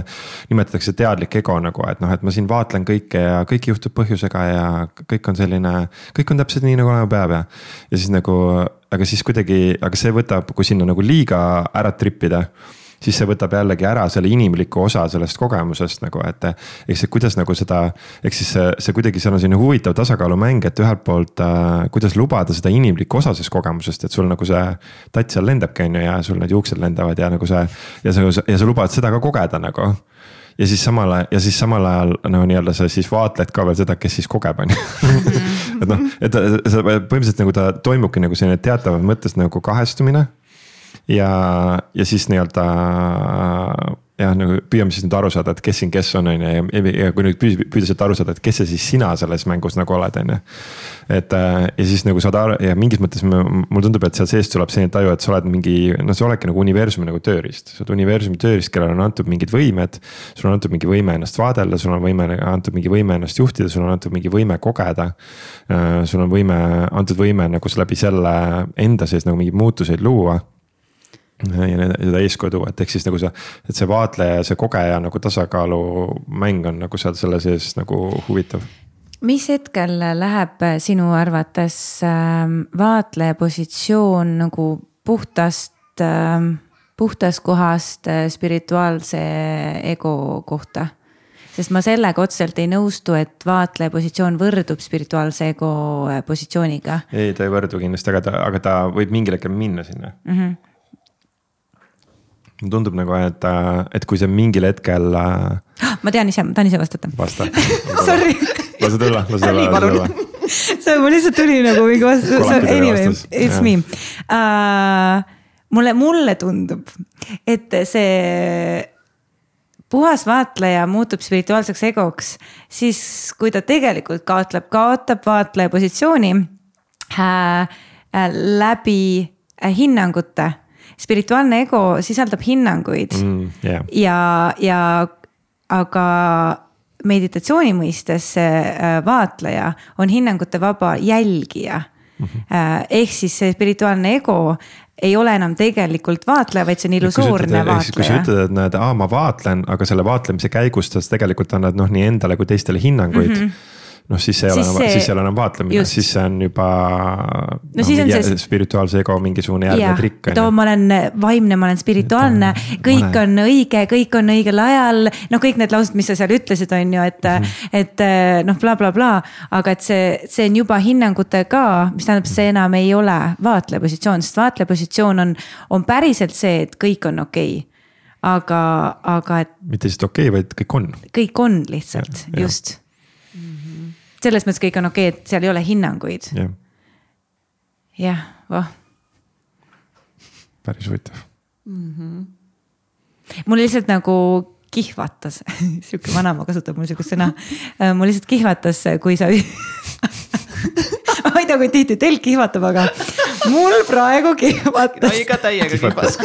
nimetatakse teadlik ego nagu, et noh, et ma siin vaatlen kõike ja kõik juhtub põhjusega ja kõik on selline, kõik on täpselt nii nagu olema peab ja, ja siis nagu aga siis kuidagi, aga see võtab, kui sinna nagu liiga ära trippida, siis see võtab jällegi ära selle inimliku osa sellest kogemusest nagu, et eks see kuidas nagu seda, eks siis see, see kuidagi seal on selline huvitav tasakaalumäng, et ühelt poolt äh, kuidas lubada seda inimlikku osa sellest kogemusest, et sul nagu see tats seal lendabki on ju ja sul need juuksed lendavad ja nagu see ja sa, ja sa lubad seda ka kogeda nagu. Ja siis samal ajal, ja siis samal ajal no, nii-öelda sa siis vaatled ka veel seda, kes siis kogeb on. et noh, et sa põhimõtteliselt nagu ta toimubki nagu selline teatavas mõttes nagu kahestumine ja, ja siis nii-öelda ja nagu püüame siis nüüd aru saada, et kes siin kes on, on ja, ja kui nüüd püüda sealt aru saada, et kes see siis sina selles mängus nagu oled, on ju. Et ja siis nagu saad aru ja mingis mõttes mul tundub, et seal seest tuleb selline taju, et sa oled mingi, no sa oledki nagu universumi nagu tööriist. Sa oled universumi tööriist, kellel on antud mingid võimed, sul on antud mingi võime ennast vaadelda, sul on võime, antud mingi võime ennast juhtida, sul on antud mingi võime kogeda. Sul on võime, antud võime nagu läbi selle enda sees nagu mingi muutuseid luua. Ja seda eeskodu, et eks siis nagu see, et see vaatleja ja see kogeja nagu tasakaalu mäng on nagu seal selle sees nagu huvitav. Mis hetkel läheb sinu arvates vaatleja positsioon nagu puhtast, puhtast kohast spirituaalse ego kohta? Sest ma sellega otseselt ei nõustu, et vaatleja positsioon võrdub spirituaalse ego positsiooniga. Ei, ta ei võrdu kindlasti, aga ta, aga ta võib mingil hetkel minna sinna. Mhm. Tundub nagu, et, et kui see mingil hetkel... Ma tean ise, ma tahan ise vastata. Vasta. Sorry. Lase tulla, lase tulla. See mul lihtsalt tuli nagu mingi vastus. Anyway, it's me. Uh, mulle, mulle tundub, et see puhas vaatleja muutub spirituaalseks egoks, siis kui ta tegelikult kaotab, kaotab vaatleja positsiooni uh, uh, läbi hinnangute. Spirituaalne ego sisaldab hinnanguid mm, yeah. ja, ja aga meditatsiooni mõistes see vaatleja on hinnangute vaba jälgija. Mm-hmm. Ehk siis see spirituaalne ego ei ole enam tegelikult vaatleja, vaid see on illusoorne vaatleja. Kui sa ütled, et näed, aa, ma vaatlen, aga selle vaatlemise käigus tegelikult annad noh, nii endale kui teistele hinnanguid. Mm-hmm. noh, siis see ei ole enam, see... siis ei ole enam vaatlemine, just. Siis see on juba no, no, on see... spirituaalse ego mingisugune järgmine trikk. Too, ma olen vaimne, ma olen spirituaalne, kõik olen... on õige, kõik on õigel ajal. No kõik need laused, mis sa seal ütlesid, on ju, et, mm-hmm. et noh, bla, bla, bla. Aga et see, see on juba hinnangutega, mis tähendab, see enam ei ole vaatleja positsioon, sest vaatleja positsioon on, on päriselt see, et kõik on okei. Aga, aga et... mitte lihtsalt okei, vaid kõik on. Kõik on lihtsalt, ja, just. Ja. Selles mõttes kõik on okei, et seal ei ole hinnanguid. Jah, jah, voh. Päris huvitav. Mm-hmm. Mul lihtsalt nagu kihvatas, siuke vanaema kasutab mul siukest sõna, mul lihtsalt kihvatas, kui sa ma ei tea, kui tihti teil kihvatab, aga mul praegu kihvatas. No iga täiega kihvatas.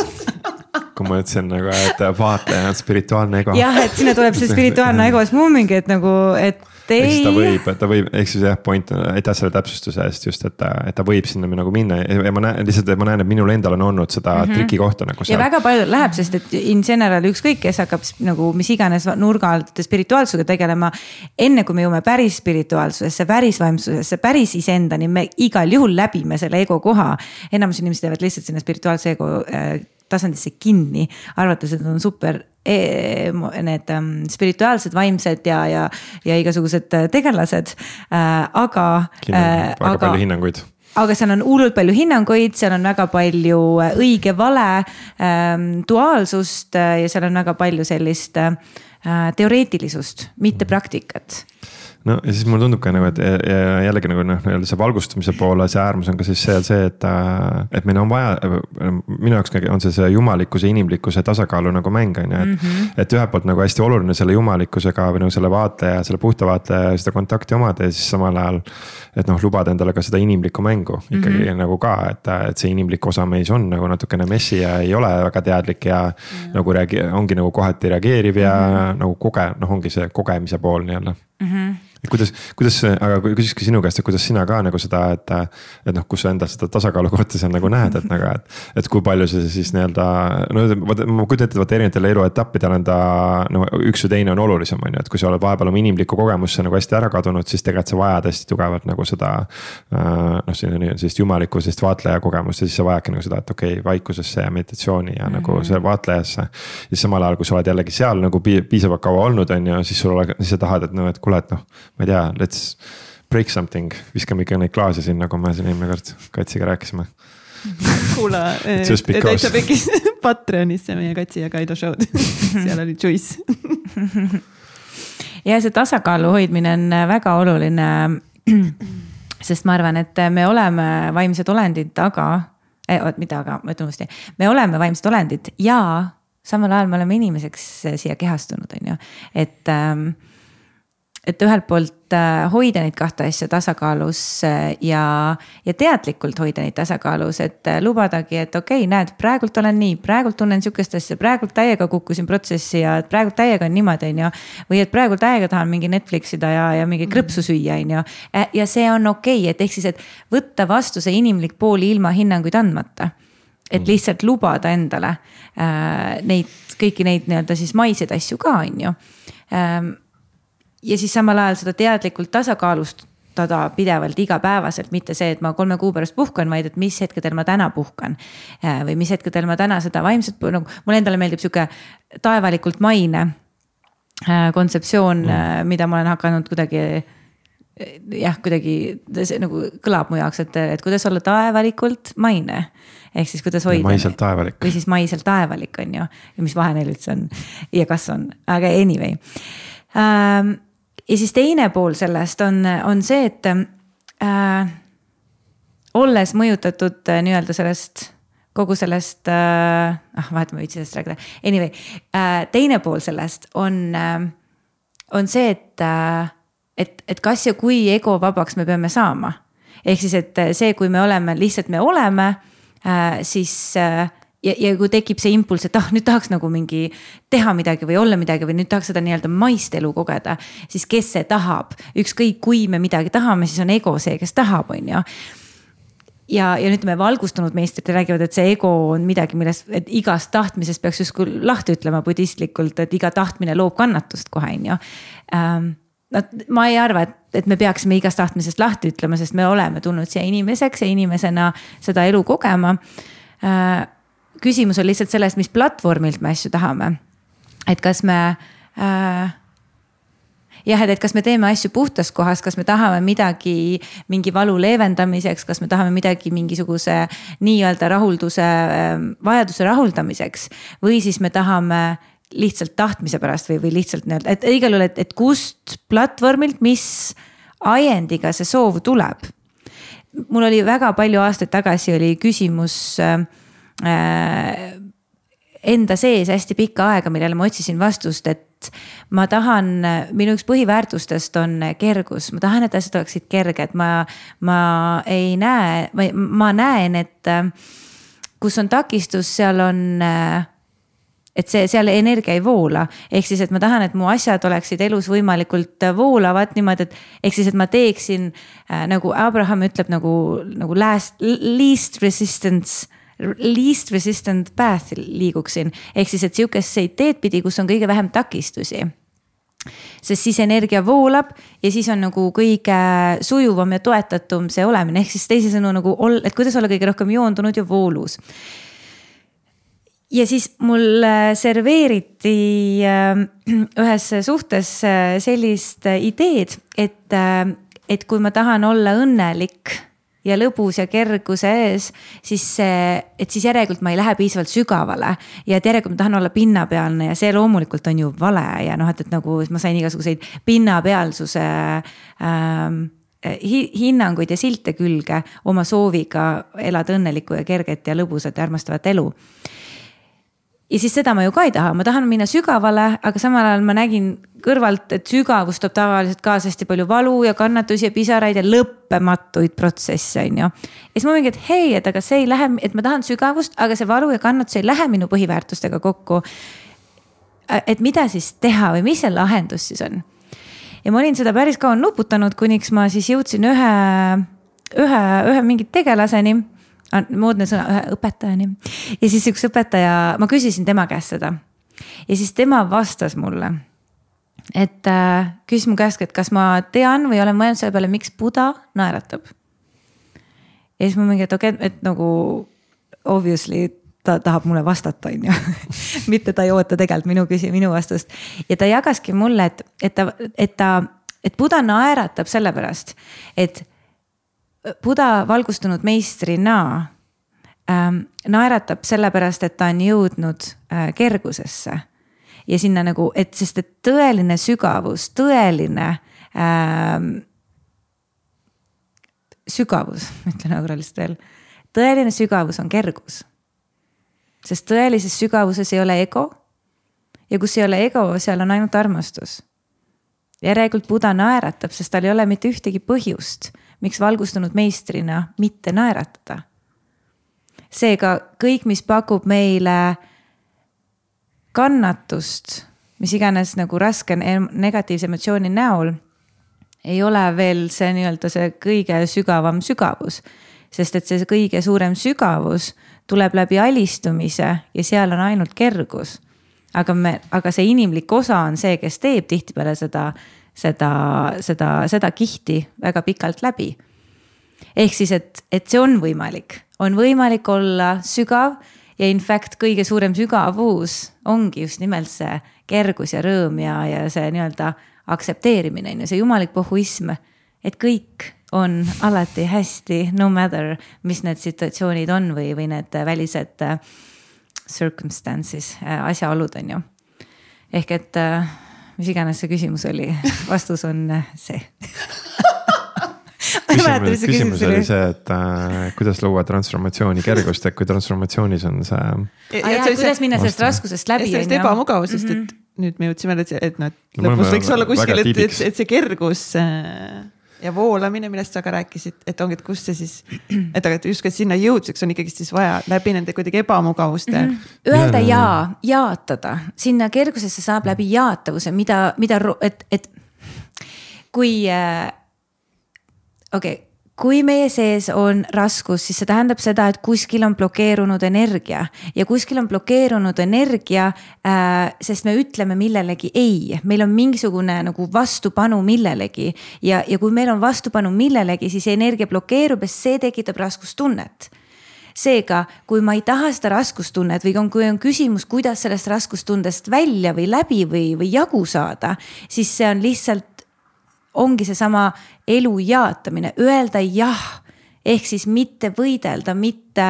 Kui ma ütlesin nagu, et vaatleja on spirituaalne ego. Jah, et sinna tuleb see spirituaalne ego, siis mul mingi, et nagu, et Eks ta võib, ta võib, eks siis jah, point, aitäh selle täpsustuse eest just, et ta, et ta võib sinna nagu minna ja ma näen, lihtsalt ma näen, et minul endal on olnud seda mm-hmm. triki kohta nagu seal. Ja väga palju läheb, sest et in general ükskõik, kes hakkab nagu mis iganes nurga alt spirituaalsusega tegelema, enne kui me jõuame päris spirituaalsusesse, päris vaimsusesse, päris iseendani, me igal juhul läbime selle ego koha. Enamus inimesed jäävad lihtsalt sinna spirituaalse ego tasandisse kinni, arvates, et on super E, need um, spirituaalsed, vaimsed ja, ja, ja igasugused tegelased, äh, aga äh, väga aga, palju hinnanguid. Aga seal on hullult palju hinnanguid, seal on väga palju õige vale ähm, duaalsust ja seal on väga palju sellist äh, teoreetilisust, mitte praktikat. No ja siis mulle tundub ka nagu, et jällegi nagu noh, see valgustamise poole, see äärmus on ka siis see, see et, et meil on vaja, minu jaoks on see see jumalikkuse, inimlikkuse tasakaalu nagu mäng on ju, et, mm-hmm. et ühelt poolt nagu hästi oluline selle jumalikkusega või nagu selle vaatleja, selle puhta vaatleja seda kontakti omada ja siis samal ajal, et noh, lubada endale ka seda inimlikku mängu ikkagi mm-hmm. nagu ka, et, et see inimlik osa meis on nagu natukene messi ja ei ole väga teadlik ja mm-hmm. nagu reage, ongi nagu kohati reageeriv ja mm-hmm. nagu koge, noh ongi see kogemise pool nii-öelda. Mm-hmm. Kuidas, kuidas, aga küsiski sinu käest, et kuidas sina ka nagu seda, et, et noh, kus sa endal seda tasakaalu kohta seal nagu näed, et nagu, et, et kui palju see siis nii-öelda, no ma kujutan ette, vaata erinevatele eluetappidele on ta, no üks või teine on olulisem, on ju, et kui sa oled vahepeal oma inimlikku kogemusse nagu hästi ära kadunud, siis tegelikult sa vajad hästi tugevalt nagu seda, noh, sellist jumalikku, sellist vaatleja kogemust ja siis sa vajadki nagu seda, et okei, okay, vaikusesse ja meditatsiooni ja mm-hmm. nagu see vaatlejasse. Ja samal ajal, kui sa oled jällegi seal nagu piisavalt kaua olnud, on ju, siis sul ole, siis sa tahad, et noh, et kuule, et noh, ma ei tea, let's break something, viskame ikka neid klaase siin, nagu me siin eelmine kord Katsiga rääkisime. Kuula, täitsa pekis Patreonisse meie Katsi ja Kaido show'd, seal oli Juice. Ja see tasakaalu hoidmine on väga oluline, sest ma arvan, et me oleme vaimsed olendid, aga, eh, mida aga, ma ütlen uuesti, me oleme vaimsed olendid ja samal ajal me oleme inimeseks siia kehastunud, on ju, et ähm, et ühelt poolt hoida neid kahte asja tasakaalus ja, ja teadlikult hoida neid tasakaalus, et lubadagi, et okei, okay, näed, praegult olen nii, praegult tunnen sükest asja, praegult täiega kukkusin protsessi ja praegult täiega on niimoodi, on ju, või et praegult täiega tahan mingi Netflixida ja, ja mingi krõpsu süüa, on ju, ja see on okei, okay, et ehk siis, et võtta vastu see inimlik pool ilma hinnanguid andmata. Et lihtsalt lubada endale äh, neid, kõiki neid nii-öelda siis maiseid asju ka, on ju. Ähm, Ja siis samal ajal seda teadlikult tasakaalustada pidevalt igapäevaselt, mitte see, et ma kolme kuu pärast puhkan, vaid et mis hetkedel ma täna puhkan. Või mis hetkedel ma täna seda vaimset, nagu mul endale meeldib siuke taevalikult maine kontseptsioon, mm. mida ma olen hakanud kuidagi, jah, kuidagi see nagu kõlab mu jaoks, et, et kuidas olla taevalikult maine. Ehk siis kuidas hoida. Maiselt taevalik. Või siis maiselt taevalik on ju. Ja mis vahe neil üldse on ja kas on, aga anyway. Ähm, Ja siis teine pool sellest on, on see, et äh, olles mõjutatud äh, nii-öelda sellest, kogu sellest, äh, ah, vahet ma võitsi sellest rääkida. Anyway, äh, teine pool sellest on, äh, on see, et, äh, et, et kas ja kui ego vabaks me peame saama. Ehk siis, et see, kui me oleme, lihtsalt me oleme, siis ja, ja kui tekib see impulss, et ah, nüüd tahaks nagu mingi teha midagi või olla midagi või nüüd tahaks seda nii-öelda maist elu kogeda, siis kes see tahab, ükskõik kui me midagi tahame, siis on ego see, kes tahab, on ju. Ja, ja nüüd me valgustunud meistrid räägivad, et see ego on midagi, milles, et igast tahtmisest peaks justkui lahti ütlema budistlikult, et iga tahtmine loob kannatust kohe, on ju. No, ma ei arva, et, et me peaksime igast tahtmisest lahti ütlema, sest me oleme tulnud siia inimeseks ja inimesena seda elu kogema. Küsimus on lihtsalt sellest, mis platvormilt me asju tahame. Et kas me... Äh, jah, et kas me teeme asju puhtas kohas, kas me tahame midagi mingi valu leevendamiseks, kas me tahame midagi mingisuguse nii-öelda rahulduse, vajaduse rahuldamiseks või siis me tahame lihtsalt tahtmise pärast või, või lihtsalt nii-öelda, et igal juhul, et, et kust platvormilt, mis ajendiga see soov tuleb. Mul oli väga palju aastaid tagasi oli küsimus äh, enda sees hästi pikka aega, millele ma otsisin vastust, et ma tahan, minu üks põhiväärtustest on kergus, ma tahan, et asjad oleksid kerged, ma, ma ei näe, ma näen, et kus on takistus, seal on, et see, seal energia ei voola. Ehk siis, et ma tahan, et mu asjad oleksid elus võimalikult voolavad niimoodi, et ehk siis, et ma teeksin, nagu Abraham ütleb, nagu, nagu last, least resistance least resistant path liiguksin. Ehk siis, et siukest teed pidi, kus on kõige vähem takistusi. Sest siis energia voolab ja siis on nagu kõige sujuvam ja toetatum see olemine. Ehk siis teisisõnu nagu, et kuidas olla kõige rohkem joondunud ja voolus. Ja siis mul serveeriti ühes suhtes sellist ideed, et, et kui ma tahan olla õnnelik ja lõbus ja kerguse ees, siis, et siis järelikult ma ei lähe piisavalt sügavale ja et järelikult ma tahan olla pinnapealne ja see loomulikult on ju vale ja noh, et, et nagu ma sain igasuguseid pinnapealsuse ähm, hinnanguid ja silte külge oma sooviga elada õnnelikku ja kerget ja lõbusat ja armastavat elu. Ja siis seda ma ju ka ei taha, ma tahan minna sügavale, aga samal ajal ma nägin kõrvalt, et sügavus toob tavaliselt kaasa hästi palju valu ja kannatusi ja pisaraid ja lõppematuid protsesse. Ja siis ma mingi, et hei, et aga see ei lähe, et ma tahan sügavust, aga see valu ja kannatus ei lähe minu põhiväärtustega kokku. Et mida siis teha või mis see lahendus siis on? Ja ma olin seda päris kaua nuputanud, kuniks ma siis jõudsin ühe, ühe, ühe mingit tegelaseni. Moodne sõna, ühe õpetajani. Ja siis üks õpetaja, ma küsisin tema käest seda. Ja siis tema vastas mulle, et äh, küsis mu käest, et kas ma tean või olen mõelnud selle peale, miks Buda naeratab. Ja siis ma mingi, et okei, et nagu obviously ta tahab mulle vastata, on ju. Mitte ta ei oota tegelikult minu küsi, minu vastust. Ja ta jagaski mulle, et, et, ta, et, ta, et Buda naeratab selle pärast, et Buda valgustunud meistrina ähm, naeratab sellepärast, et ta on jõudnud äh, kergusesse ja sinna nagu, et sest et tõeline sügavus, tõeline ähm, sügavus, ütlen aga lihtsalt veel, tõeline sügavus on kergus. Sest tõelises sügavuses ei ole ego ja kus ei ole ego, seal on ainult armastus. Järelikult Buda naeratab, sest tal ei ole mitte ühtegi põhjust, miks valgustunud meistrina mitte naeratada. Seega kõik, mis pakub meile kannatust, mis iganes nagu raske negatiivse emotsiooni näol, ei ole veel see nii-öelda see kõige sügavam sügavus. Sest et see kõige suurem sügavus tuleb läbi alistumise ja seal on ainult kergus. Aga, me, aga see inimlik osa on see, kes teeb tihtipeale seda seda, seda, seda kihti väga pikalt läbi. Ehk siis, et, et see on võimalik. On võimalik olla sügav ja in fact kõige suurem sügavus ongi just nimelt see kergus ja rõõm ja, ja see nii-öelda aksepteerimine, see jumalik pohhuism, et kõik on alati hästi, no matter, mis need situatsioonid on või, või need välised circumstances, asjaolud on ju. Ehk et mis iganes see küsimus oli, vastus on see. küsimus, küsimus oli see, et äh, kuidas luua transformatsiooni kergust, et kui transformatsioonis on see... Ja, ja, ja kuidas minna sellest raskusest läbi. Sellest ebamugavusest, mm -hmm. et nüüd me jõudsime, et, et noh, lõpus võiks olla kuskil, et, et, et see kergus... Äh... ja voolamine, millest sa ka rääkisid, et ongi, et kus see siis, et aga justkui sinna jõuduseks on ikkagi siis vaja läbi nende kuidagi ebamugavuste mm. -hmm. Öelda ja, jaatada, sinna kergusesse saab läbi jaatavuse, mida, mida, et, et kui äh,, okei okay, kui meie sees on raskus, siis see tähendab seda, et kuskil on blokeerunud energia ja kuskil on blokeerunud energia, äh, sest me ütleme millelegi ei. Meil on mingisugune nagu vastupanu millelegi ja, ja kui meil on vastupanu millelegi, siis energia blokeerub ja see tekitab raskustunnet. Seega, kui ma ei taha seda raskustunnet või kui on küsimus, kuidas sellest raskustundest välja või läbi või, või jagu saada, siis see on lihtsalt ongi see sama elu jaatamine, öelda jah, ehk siis mitte võidelda, mitte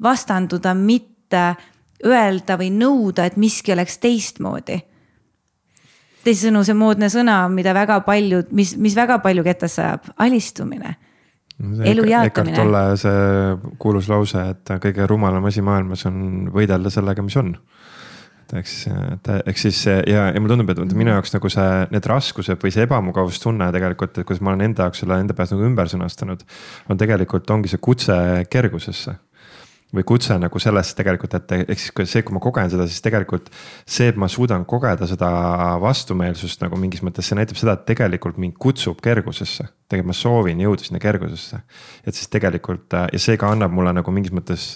vastanduda, mitte öelda või nõuda, et miski oleks teistmoodi. Teisisõnu see moodne sõna, mida väga palju, mis, mis väga palju ketas sajab, alistumine, elu jaatamine. Ekart Tolle see kuulus lause, et kõige rumalam asi maailmas on võidelda sellega, mis on. Eks, eks siis ja, ja mulle tundub, et minu jaoks nagu see, need raskused või see ebamugavustunne tegelikult, et kuidas ma olen enda jaoks selle enda pääs nagu ümber sõnastanud, on tegelikult ongi see kutse kergusesse. Või kutse nagu sellest tegelikult, et eks siis see, kui ma kogen seda, siis tegelikult see, et ma suudan kogeda seda vastumeelsust nagu mingis mõttes, see näitab seda, et tegelikult mind kutsub kergusesse. Tegelikult ma soovin jõuda sinna kergusesse. Et siis tegelikult ja see ka annab mulle nagu mingis mõttes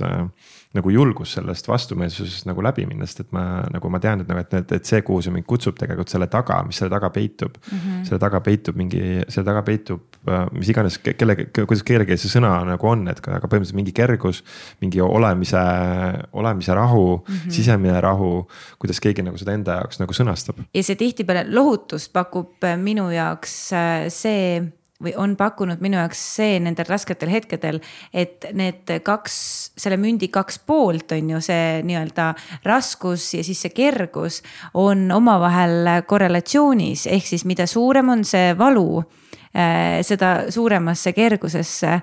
nagu julgus sellest vastumeelsusest nagu läbi minna, sest et ma nagu ma tean, et, nagu, et, et see, kuhu see mind kutsub tegelikult selle taga, mis selle taga peitub, mm -hmm. selle taga peitub mingi, selle taga peitub, mis iganes, kelle, kuidas keelegi see sõna nagu on, et aga põhimõtteliselt mingi kergus, mingi olemise, olemise rahu, mm -hmm. sisemine rahu, kuidas keegi nagu seda enda jaoks nagu sõnastab. Ja see tihtipeale lohutust pakub minu jaoks see või on pakkunud minu jaoks see nendel rasketel hetkedel, et need kaks, selle mündi kaks poolt on ju see nii-öelda raskus ja siis see kergus on omavahel korrelatsioonis, ehk siis mida suurem on see valu, seda suuremasse kergusesse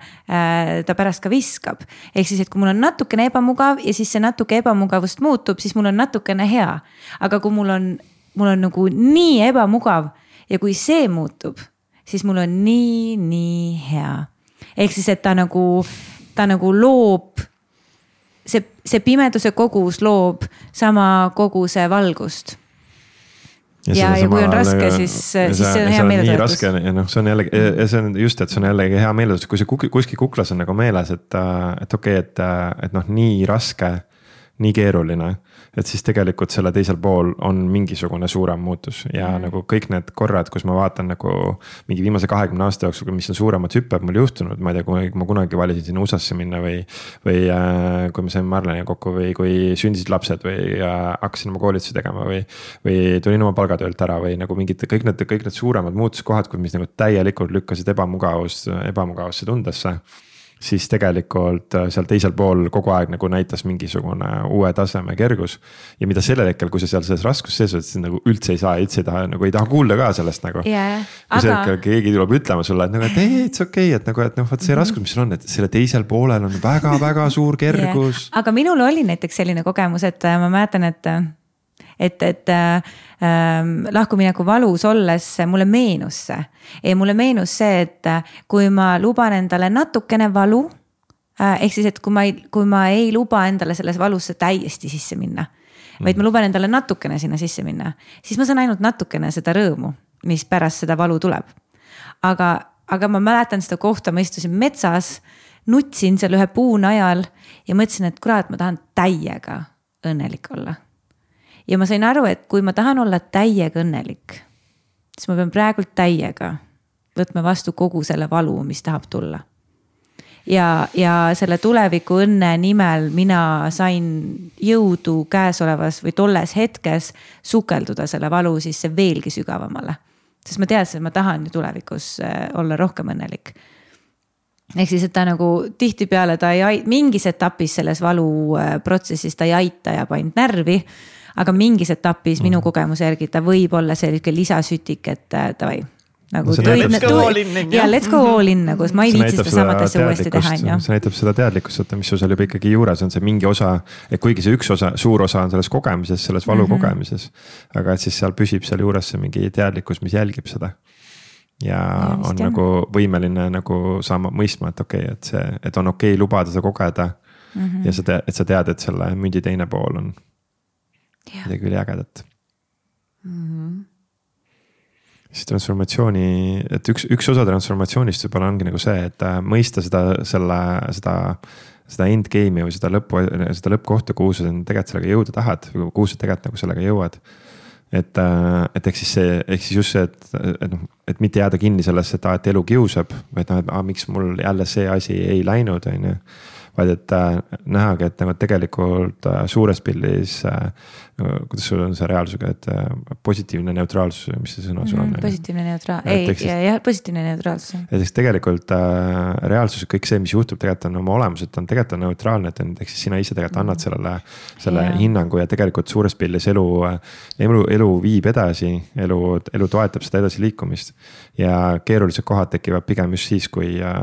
ta pärast ka viskab. Ehk siis, et kui mul on natukene ebamugav ja siis see natuke ebamugavust muutub, siis mul on natukene hea. Aga kui mul on, mul on nagu nii ebamugav ja kui see muutub, siis mul on nii, nii hea. Ehk siis, et ta nagu, ta nagu loob, see, see pimeduse kogus loob sama koguse valgust. Ja, ja, ja kui on raske, siis, siis see on hea meeletuletus. Ja noh, see on jällegi, ja see on just, et see on jällegi hea meeletuletus, kui see kuskil kuklas on nagu meeles, et, et okei, okay, et, et noh, nii raske, nii keeruline, et siis tegelikult selle teisel pool on mingisugune suurem muutus ja mm. nagu kõik need korrad, kus ma vaatan nagu mingi viimase kahekümne aasta jooksul, mis on suuremad hüpped mul juhtunud, ma ei tea, kui ma kunagi valisin sinna U S A-sse minna või, või äh, kui me saime Marleni kokku või kui sündisid lapsed või äh, hakkasin oma koolitusi tegema või, või tulin oma palgatöölt ära või nagu mingid, kõik need, kõik need suuremad muutuskohad, mis nagu täielikult lükkasid ebamugavust, ebamugavusse tundesse. Siis tegelikult seal teisel pool kogu aeg nagu näitas mingisugune uue taseme kergus. Ja mida sellel hetkel, kui sa seal selles raskus sees oled, siis nagu üldse ei saa, üldse ei taha, nagu ei taha kuulda ka sellest nagu. Yeah, kui aga... hetkel keegi tuleb ütlema sulle, et nagu, et ei, et see okei, okay, et nagu, et noh, vaat see mm-hmm. raskus, mis sul on, et selle teisel poolel on väga, väga suur kergus. Yeah. Aga minul oli näiteks selline kogemus, et ma mäletan, et et, et äh, lahkumineku valus olles mulle meenus see. Ja mulle meenus see, et kui ma luban endale natukene valu, äh, ehk siis, et kui ma, ei, kui ma ei luba endale selles valusse täiesti sisse minna, vaid ma luban endale natukene sinna sisse minna, siis ma saan ainult natukene seda rõõmu, mis pärast seda valu tuleb. Aga, aga ma mäletan seda kohta, ma istusin metsas, nutsin seal ühe puu najal ja mõtlesin, et kurat, ma tahan täiega õnnelik olla. Ja ma sain aru, et kui ma tahan olla täiega õnnelik, siis ma pean praegult täiega võtma vastu kogu selle valu, mis tahab tulla. Ja, ja selle tuleviku õnne nimel mina sain jõudu käesolevas või tolles hetkes sukelduda selle valu sisse veelgi sügavamale. Sest ma teadsin, et ma tahan ju tulevikus olla rohkem õnnelik. Ehk siis, et ta nagu tihti peale ta ei, mingis etapis selles valu protsessis ta ei aita ja paint närvi, aga mingis etapis minu kogemuse järgi ta võib olla selline lisasütik, et tavai. Nagu no, tõi, let's go all in. Ja let's go all in, nagu ma ei viitsi seda samat asja uuesti teha. See näitab seda teadlikkust, mis sul juba ikkagi juures on see mingi osa, et kuigi see üks osa, suur osa on selles kogemises, selles valu mm-hmm. kogemises, aga et siis seal püsib seal juures see mingi teadlikkus, mis jälgib seda. ja, ja on jah. nagu võimeline nagu saama mõistma, et okei okay,, et see, et on okei okay lubada seda kogeda mm. -hmm. ja sa tead, et sa tead, et selle mündi teine pool on ja. midagi üli ägedat mm. -hmm. siis transformatsiooni, et üks, üks osa transformatsioonist võib-olla ongi nagu see, et mõista seda, selle, seda, seda endgame'i või seda lõppu, seda lõppkohta, kuhu sa tegelikult sellega jõuda tahad või kuhu sa tegelikult nagu sellega jõuad. et, et ehk siis see, ehk siis just see, et, et noh, et mitte jääda kinni sellesse, et, et elu kiusab, vaid noh, et ah, miks mul jälle see asi ei läinud, on ju. Vaid et äh, nähagi, et nagu tegelikult äh, suures pildis äh,, kuidas sul on see reaalsusega, et äh, positiivne neutraalsus, mis see sõna sul on? Mm, positiivne neutraalsus, ei, ja, ja positiivne neutraalsus. et siis tegelikult äh, reaalsus, kõik see, mis juhtub, tegelikult on oma olemuselt, on tegelikult on neutraalne, et ehk siis sina ise tegelikult annad sellele, selle yeah. hinnangu ja tegelikult suures pildis elu, elu, elu viib edasi, elu, elu toetab seda edasi liikumist. Ja keerulised kohad tekivad pigem just siis, kui äh,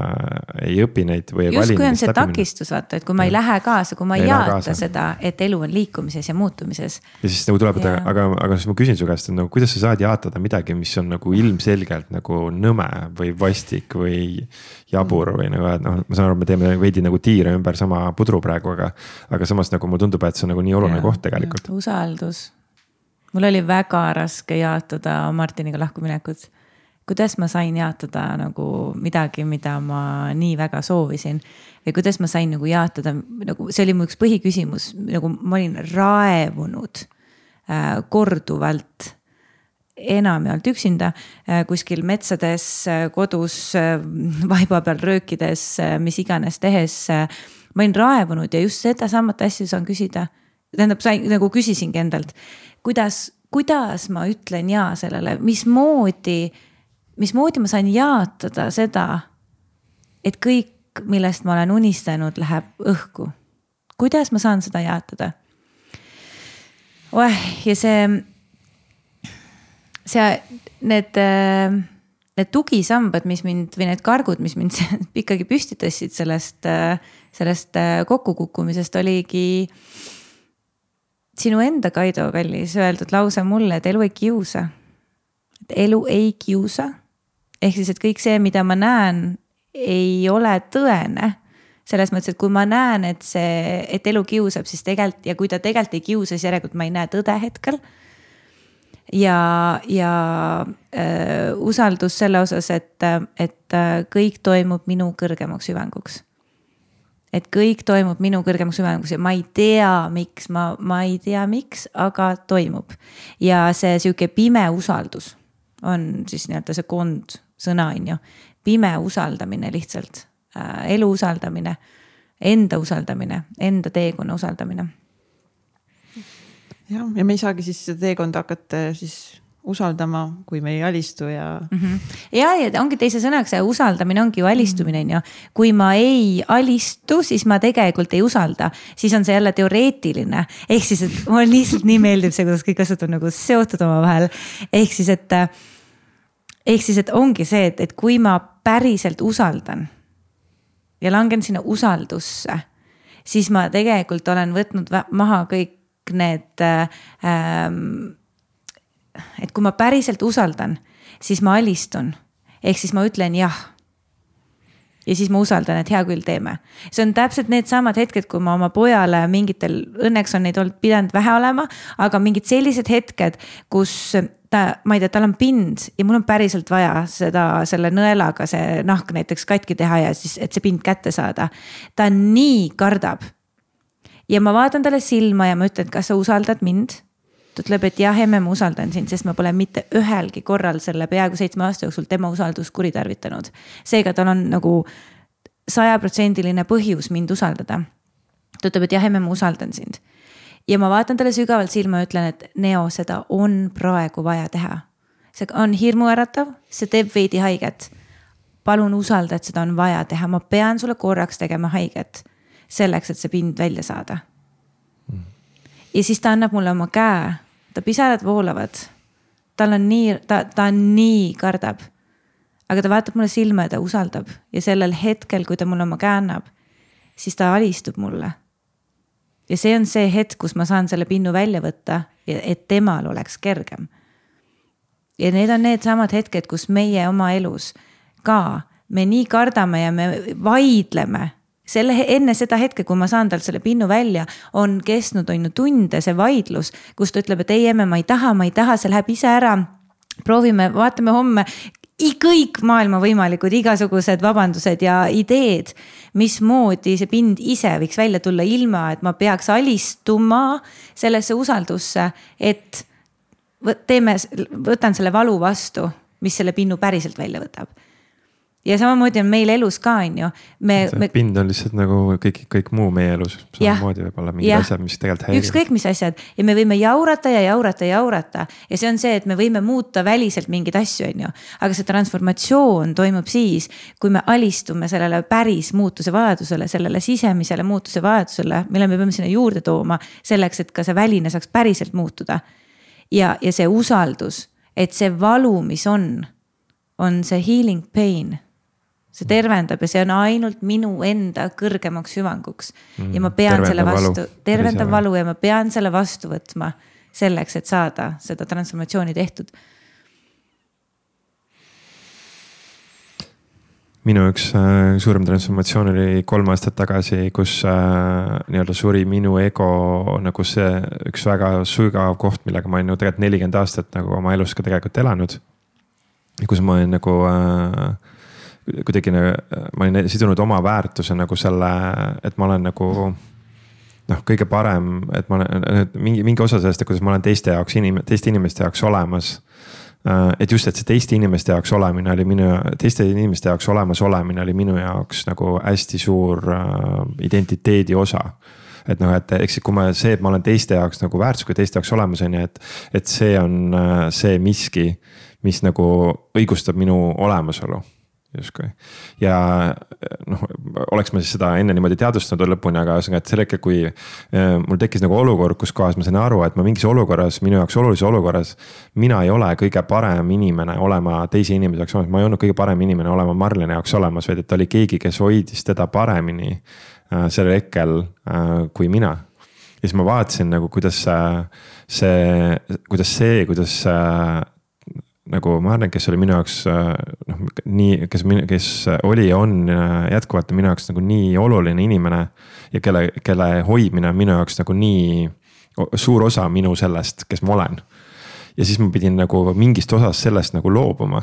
ei õpi neid või ei just vali. Just kui on see takistus, vaata, et kui ma ja. ei lähe kaasa, kui ma ei, ei jaata seda, et elu on liikumises ja muutumises. Ja siis nagu tuleb, et aga, aga siis ma küsin su käest, et nagu, kuidas sa saad jaatada midagi, mis on nagu ilmselgelt nagu nõme või vastik või jabur või nagu, et noh, ma saan aru, me teeme veidi nagu tiire ümber sama pudru praegu, aga, aga samas nagu mulle tundub, et see on nagu nii oluline ja, koht tegelikult. Usaldus. Mul oli väga raske jaatada Martiniga lahkuminekut. Kuidas ma sain jaatada nagu midagi, mida ma nii väga soovisin või kuidas ma sain nagu jaatada, nagu see oli mu üks põhiküsimus, nagu ma olin raevunud äh, korduvalt enamjaolt üksinda äh, kuskil metsades, äh, kodus, äh, vaiba peal röökides, äh, mis iganes tehes. Äh, ma olin raevunud ja just seda samat asja saan küsida. Tähendab, sain, nagu küsisingi endalt, kuidas, kuidas ma ütlen jaa sellele, mismoodi mismoodi ma sain jaatada seda, et kõik, millest ma olen unistanud, läheb õhku. Kuidas ma saan seda jaatada? Oeh, ja see, see, need, need tugisambad, mis mind, või need kargud, mis mind ikkagi püstitasid sellest, sellest kokkukukkumisest, oligi sinu enda, Kaido kallis, öeldud lause mulle, et elu ei kiusa. Et elu ei kiusa. Ehk siis, et kõik see, mida ma näen, ei ole tõene. Selles mõttes, et kui ma näen, et, see, et elu kiusab, siis tegelikult, ja kui ta tegelikult ei kiusa, siis järelikult ma ei näe tõde hetkel. Ja, ja äh, usaldus selle osas, et, et kõik toimub minu kõrgemaks hüvanguks. Et kõik toimub minu kõrgemaks hüvanguks ja ma ei tea, miks, ma, ma ei tea, miks, aga toimub. Ja see siuke pime usaldus on siis nii-öelda see kond sõna on ju, pime usaldamine lihtsalt, äh, elu usaldamine, enda usaldamine, enda teekonna usaldamine. Ja, ja me ei saagi siis teekonda hakata siis usaldama, kui me ei alistu ja mm. -hmm. Ja, ja ongi teise sõnaks, see usaldamine ongi ju alistumine mm. -hmm. ja kui ma ei alistu, siis ma tegelikult ei usalda, siis on see jälle teoreetiline. Ehk siis, et mulle lihtsalt nii meeldib see, kuidas kõik asjad on nagu seotud oma vahel. Ehk siis, et Ehk siis, et ongi see, et, et kui ma päriselt usaldan ja langen sinna usaldusse, siis ma tegelikult olen võtnud maha kõik need, ähm, et kui ma päriselt usaldan, siis ma alistun. Ehk siis ma ütlen jah. Ja siis ma usaldan, et hea küll teeme. See on täpselt need samad hetked, kui ma oma pojale mingitel, õnneks on neid olnud pidanud vähe olema, aga mingid sellised hetked, kus ta, ma ei tea, tal on pind ja mul on päriselt vaja seda, selle nõelaga see nahk näiteks katki teha ja siis, et see pind kätte saada. Ta nii kardab. Ja ma vaatan talle silma ja ma ütlen, kas sa usaldad mind? Ta ütleb, et jah, emme, ma usaldan sind, sest ma pole mitte ühelgi korral selle peaaegu seitsme aasta jooksul tema usaldus kuritarvitanud. Seega tal on nagu sajaprotsendiline põhjus mind usaldada. Ta ütleb, et jah, emme, ma usaldan sind. Ja ma vaatan talle sügavalt silma ja ütlen, et Neo, seda on praegu vaja teha. See on hirmuäratav, see teeb veidi haiget. Palun usalda, et seda on vaja teha. Ma pean sulle korraks tegema haiget selleks, et see pind välja saada. Mm. Ja siis ta annab mulle oma käe. Ta pisarad voolavad. Tal on nii, ta, ta nii kardab. Aga ta vaatab mulle silma ja ta usaldab. Ja sellel hetkel, kui ta mulle oma käe annab, siis ta alistub mulle. Ja see on see hetk, kus ma saan selle pinnu välja võtta, et temal oleks kergem. ja need on need samad hetked, kus meie oma elus ka, me nii kardame ja me vaidleme. Selle, enne seda hetke, kui ma saan talt selle pinnu välja, on kestnud on ju tunde see vaidlus, kus ta ütleb, et ei emme, ma ei taha, ma ei taha, see läheb ise ära. Proovime, vaatame homme kõik maailma võimalikud, igasugused vabandused ja ideed, mismoodi see pind ise võiks välja tulla ilma, et ma peaks alistuma sellesse usaldusse, et teeme, võtan selle valu vastu, mis selle pinnu päriselt välja võtab. Ja samamoodi on meil elus ka, on ju. Me, see me... pind on lihtsalt nagu kõik, kõik muu meie elus. Samamoodi võib olla mingid asjad, mis tegelikult häirivad. Ükskõik mis asjad. Ja me võime jaurata ja jaurata ja jaurata. Ja see on see, et me võime muuta väliselt mingid asju, on ju. Aga see transformatsioon toimub siis, kui me alistume sellele päris muutuse vajadusele, sellele sisemisele muutuse vajadusele, mille me peame sinna juurde tooma selleks, et ka see väline saaks päriselt muutuda. Ja, ja see usaldus, et see valu, mis on, on see healing pain. See tervendab ja see on ainult minu enda kõrgemaks hüvanguks. Mm, ja ma pean tervendab selle vastu, valu. tervendab valu ja ma pean selle vastu võtma selleks, et saada seda transformatsiooni tehtud. Minu üks äh, suurem transformatsioon oli kolm aastat tagasi, kus äh, nii-öelda suri minu ego nagu see üks väga sügav koht, millega ma olen ju tegelikult nelikümmend aastat nagu oma elus ka tegelikult elanud. Kus ma olen nagu äh, kuidagi, ma olin sidunud oma väärtuse nagu selle, et ma olen nagu noh, kõige parem, et ma olen mingi, mingi osa sellest, kuidas ma olen teiste jaoks, inim, teiste inimeste jaoks olemas. Et just, et see teiste inimeste jaoks olemine oli minu, teiste inimeste jaoks olemas olemine oli minu jaoks nagu hästi suur identiteedi osa. Et noh, et eks kui ma see, et ma olen teiste jaoks nagu väärtus, kui teiste jaoks olemas on ja et, et see on see miski, mis nagu õigustab minu olemasolu. Juskui. Ja noh, oleks ma siis seda enne niimoodi teadvustanud lõpuni, aga et selle hetkel, kui mul tekkis nagu olukord, kus kohas ma sain aru, et ma mingis olukorras, minu jaoks olulise olukorras, mina ei ole kõige parem inimene olema teise inimese jaoks olemas, ma ei olnud kõige parem inimene olema Marlene jaoks olemas, vaid et oli keegi, kes hoidis teda paremini sellel hetkel kui mina. Ja siis ma vaatasin nagu, kuidas see, kuidas see, kuidas nagu ma arvan, kes oli minu jaoks noh, nii, kes, kes oli ja on jätkuvalt minu jaoks nagu nii oluline inimene ja kelle, kelle hoidmine on minu jaoks nagu nii suur osa minu sellest, kes ma olen. Ja siis ma pidin nagu mingist osast sellest nagu loobuma.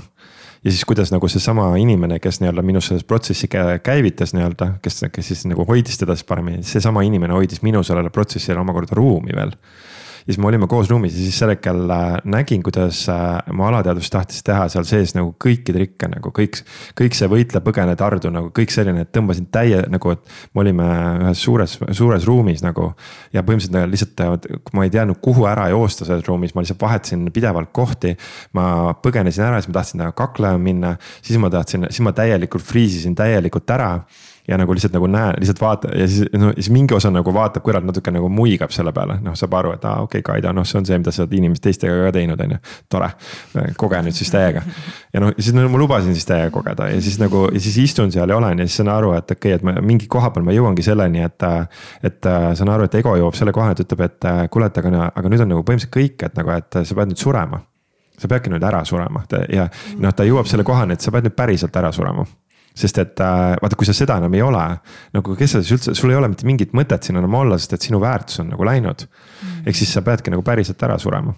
Ja siis kuidas nagu see sama inimene, kes nii-öelda minu selles protsessi käivitas nii-öelda, kes, kes siis nagu hoidis teda siis paremini, see sama inimene hoidis minu sellele protsessile omakorda ruumi veel. Ja siis me olime koos ruumis ja siis sellekal nägin, kuidas ma alateadvus tahtis teha seal sees nagu kõiki trikke, nagu kõik, kõik see võitle põgene tardu, nagu kõik selline, et tõmbasin täie nagu, et me olime ühes suures, suures ruumis nagu ja põhimõtteliselt lihtsalt, kui ma ei teadnud, kuhu ära joosta selles ruumis, ma lihtsalt vahetasin pidevalt kohti, ma põgenesin ära, siis ma tahtsin kaklema minna, siis ma tahtsin, siis ma täielikult friisisin täielikult ära. Ja nagu lihtsalt nagu näe, lihtsalt vaata ja siis, no, siis mingi osa nagu vaatab kõrvalt natuke nagu muigab selle peale. Noh, saab aru, et aa, okei, okay, Kaida, noh, see on see, mida sa oled inimest teistega ka teinud, on ju. Tore, koge nüüd siis täiega. Ja noh, siis no, ma lubasin siis täiega kogeda ja siis nagu, ja siis istun seal ja olen ja siis saan aru, et okei, okay, et ma, mingi koha peal ma jõuangi selleni, et, et saan aru, et ego jõuab selle koha, et ütleb, et kuule, et aga, aga nüüd on nagu põhimõtteliselt kõik, et nagu, et sa pead nüüd surema. Sa peadki nüüd ära surema ja noh, ta jõuab selle kohani, et sa pead nüüd päriselt ära surema. Sest et vaata, kui sa seda enam ei ole, nagu kes sa siis üldse, sul ei ole mitte mingit mõtet siin enam olla, sest et sinu väärtus on nagu läinud. Mm. Ehk siis sa peadki nagu päriselt ära surema.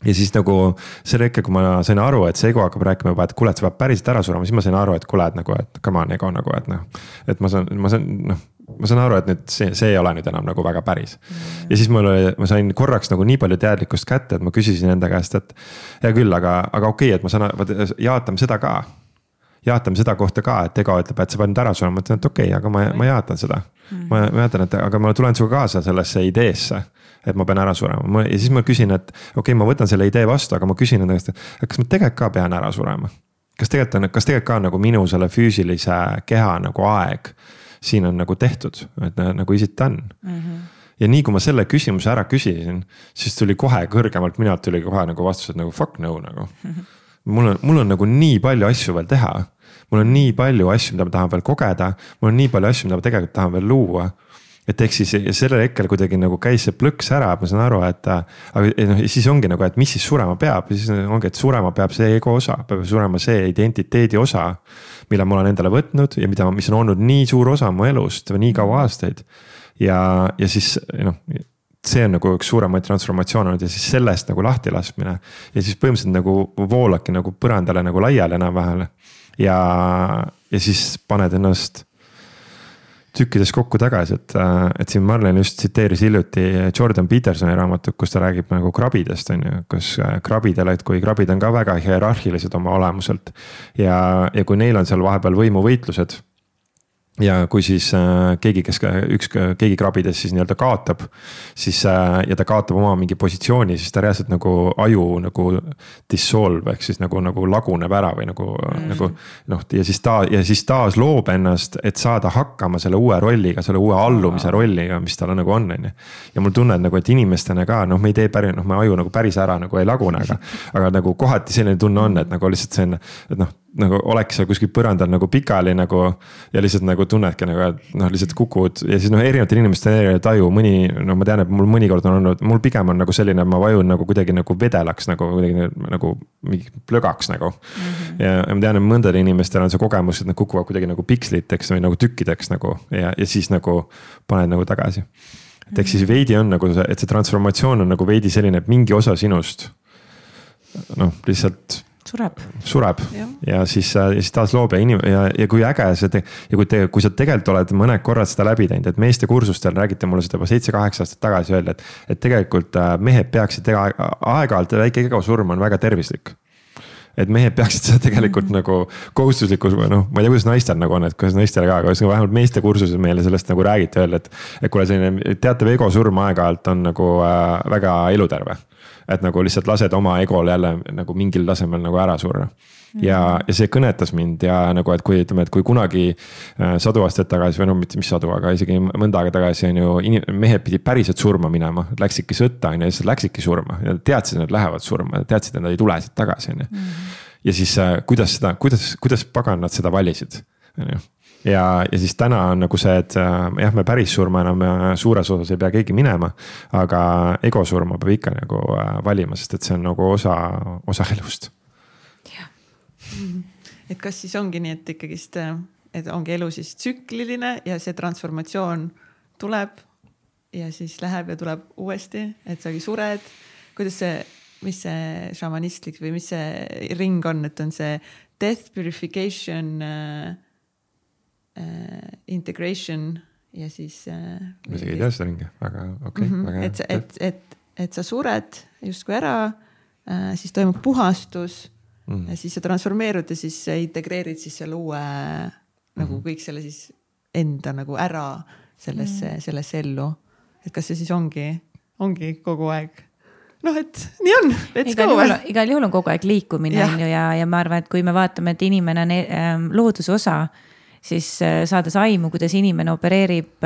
Ja siis nagu selle hetkel, kui ma sain aru, et see ego hakkab rääkima juba, et kuule, et sa pead päriselt ära surema, siis ma sain aru, et kuule, et nagu, et come on ego nagu, et noh, et ma saan, ma saan, noh, ma saan aru, et nüüd see, see ei ole nüüd enam nagu väga päris. Mm. Ja siis mul oli, ma sain korraks nagu nii palju teadlikkust kätte, et ma küsisin enda käest, et hea küll, aga, aga okei, et ma saan, jaatame seda ka. Jaatame seda kohta ka, et ego ütleb, et sa pead nüüd ära surema, ma ütlen, et okei, okay, aga ma, ma jaatan seda. Mm. Ma, ma jaatan, et aga ma tulen suga kaasa sellesse ideesse, et ma pean ära surema. Ja siis ma küsin, et okei, okay, ma võtan selle idee vastu, aga ma küsin enda käest, et kas ma tegelikult ka pean ära surema? Kas tegelikult on, kas tegelikult ka nagu minu selle füüsilise keha nagu aeg siin on nagu tehtud, et nagu is it done? Mm-hmm. Ja nii kui ma selle küsimuse ära küsisin, siis tuli kohe kõrgemalt minult tuli kohe nagu vastus, et nagu fuck no nagu. Mm-hmm. Mul on, mul on nagu nii palju asju veel teha. Mul on nii palju asju, mida ma tahan veel kogeda. Mul on nii palju asju, mida ma tegelikult tahan veel luua. et ehk siis sellel hetkel kuidagi nagu käis see plõks ära, ma saan aru, et aga noh, siis ongi nagu, et mis siis surema peab, siis ongi, et surema peab see ego osa, peab surema see identiteedi osa, mille ma olen endale võtnud ja mida, mis on olnud nii suur osa mu elust või nii kaua aastaid. Ja, ja siis noh, see on nagu üks suuremaid transformatsioon olnud ja siis sellest nagu lahti laskmine ja siis põhimõtteliselt nagu voolaki nagu põrandale nagu laiali enam-vähem ja, ja siis paned ennast tükkides kokku tagasi, et, et siin Marlen just tsiteeris hiljuti Jordan Petersoni raamatut, kus ta räägib nagu krabidest, on ju, kus krabidele, et kui krabid on ka väga hierarhilised oma olemuselt ja, ja kui neil on seal vahepeal võimuvõitlused ja kui siis äh, keegi, kes üks, keegi krabides siis nii-öelda kaotab, siis äh, ja ta kaotab oma mingi positsiooni, siis ta reaalselt nagu aju nagu dissolve ehk siis nagu, nagu laguneb ära või nagu mm., nagu noh, ja siis ta ja siis taas loob ennast, et saada hakkama selle uue rolliga, selle uue allumise oh. rolliga, mis tal nagu on, on ju. Ja mul tunned nagu, et inimestena ka, noh, me ei tee päris, noh, me aju nagu päris ära nagu ei lagune, aga, aga nagu kohati selline tunne on, et nagu lihtsalt see on, et noh, nagu oleks seal kuskil põrandal nagu pikali nagu ja lihtsalt nagu tunnedki nagu, et noh, lihtsalt kukud ja siis noh, erinevatel inimestel erinev taju, mõni, no ma tean, et mul mõnikord on olnud, mul pigem on nagu selline, ma vajun nagu kuidagi nagu vedelaks nagu kuidagi nagu mingi plögaks nagu mm-hmm. ja, ja ma tean, et mõndadel inimestel on see kogemus, et nad kukuvad kuidagi nagu piksliteks või nagu tükkideks nagu ja, ja siis nagu paned nagu tagasi. Et ehk siis veidi on nagu see, et see transformatsioon on nagu veidi selline, et mingi osa sinust noh, lihtsalt sureb, sureb. Ja. ja siis, ja siis taas loob ja, inim- ja, ja kui äge see te- ja kui, te, kui sa tegelikult oled mõned korrad seda läbi teinud, et meeste kursustel räägite mulle seda juba seitse-kaheksa aastat tagasi öelda, et, et tegelikult mehed peaksid tega, aeg-ajalt väike ego surm on väga tervislik. Et mehed peaksid seda tegelikult mm-hmm. nagu kohustuslikus, noh, ma ei tea, kuidas naistel nagu on, et kuidas naistele ka, aga vähemalt meeste kursuses meile sellest nagu räägite öelda, et, et kuule selline teatav ego surm aeg-ajalt on nagu äh, väga eluterve. Et nagu lihtsalt lased oma egol jälle nagu mingil tasemel nagu ära surra. Ja, ja see kõnetas mind ja nagu, et kui ütleme, et kui kunagi äh, sadu aastat tagasi või no mitte mis sadu, aga isegi mõnda aega tagasi on ju inim- mehed pidi päriselt surma minema, läksidki sõtta ja siis läksidki surma ja teadsid, et nad lähevad surma ja teadsid, et nad ei tule siit tagasi. Mm-hmm. Ja siis äh, kuidas seda, kuidas, kuidas pagan nad seda valisid? Ja, ja siis täna on nagu see, et jah, me päris surma enam suures osas ei pea keegi minema, aga ego surma peab ikka nagu valima, sest et see on nagu osa, osa elust. Et kas siis ongi nii, et ikkagist, et ongi elu siis tsükliline ja see transformatsioon tuleb ja siis läheb ja tuleb uuesti, et sagi sured, kuidas see, mis see šamanistlik või mis see ring on, et on see death purification äh, Uh, integration ja siis uh, ma isegi ei tea seda ringi, aga okei okay, mm-hmm. väga et, et, et, et sa sured justkui ära uh, siis toimub puhastus mm. ja siis sa transformeerud ja siis integreerid siis selle uue mm-hmm. nagu kõik selle siis enda nagu ära sellesse mm. sellesse ellu, et kas see siis ongi ongi kogu aeg noh, et nii on, let's igal go juhul, igal juhul on kogu aeg liikumine ja. On ju, ja, ja ma arvan, et kui me vaatame, et inimene on ähm, looduse osa, siis saades aimu, kuidas inimene opereerib,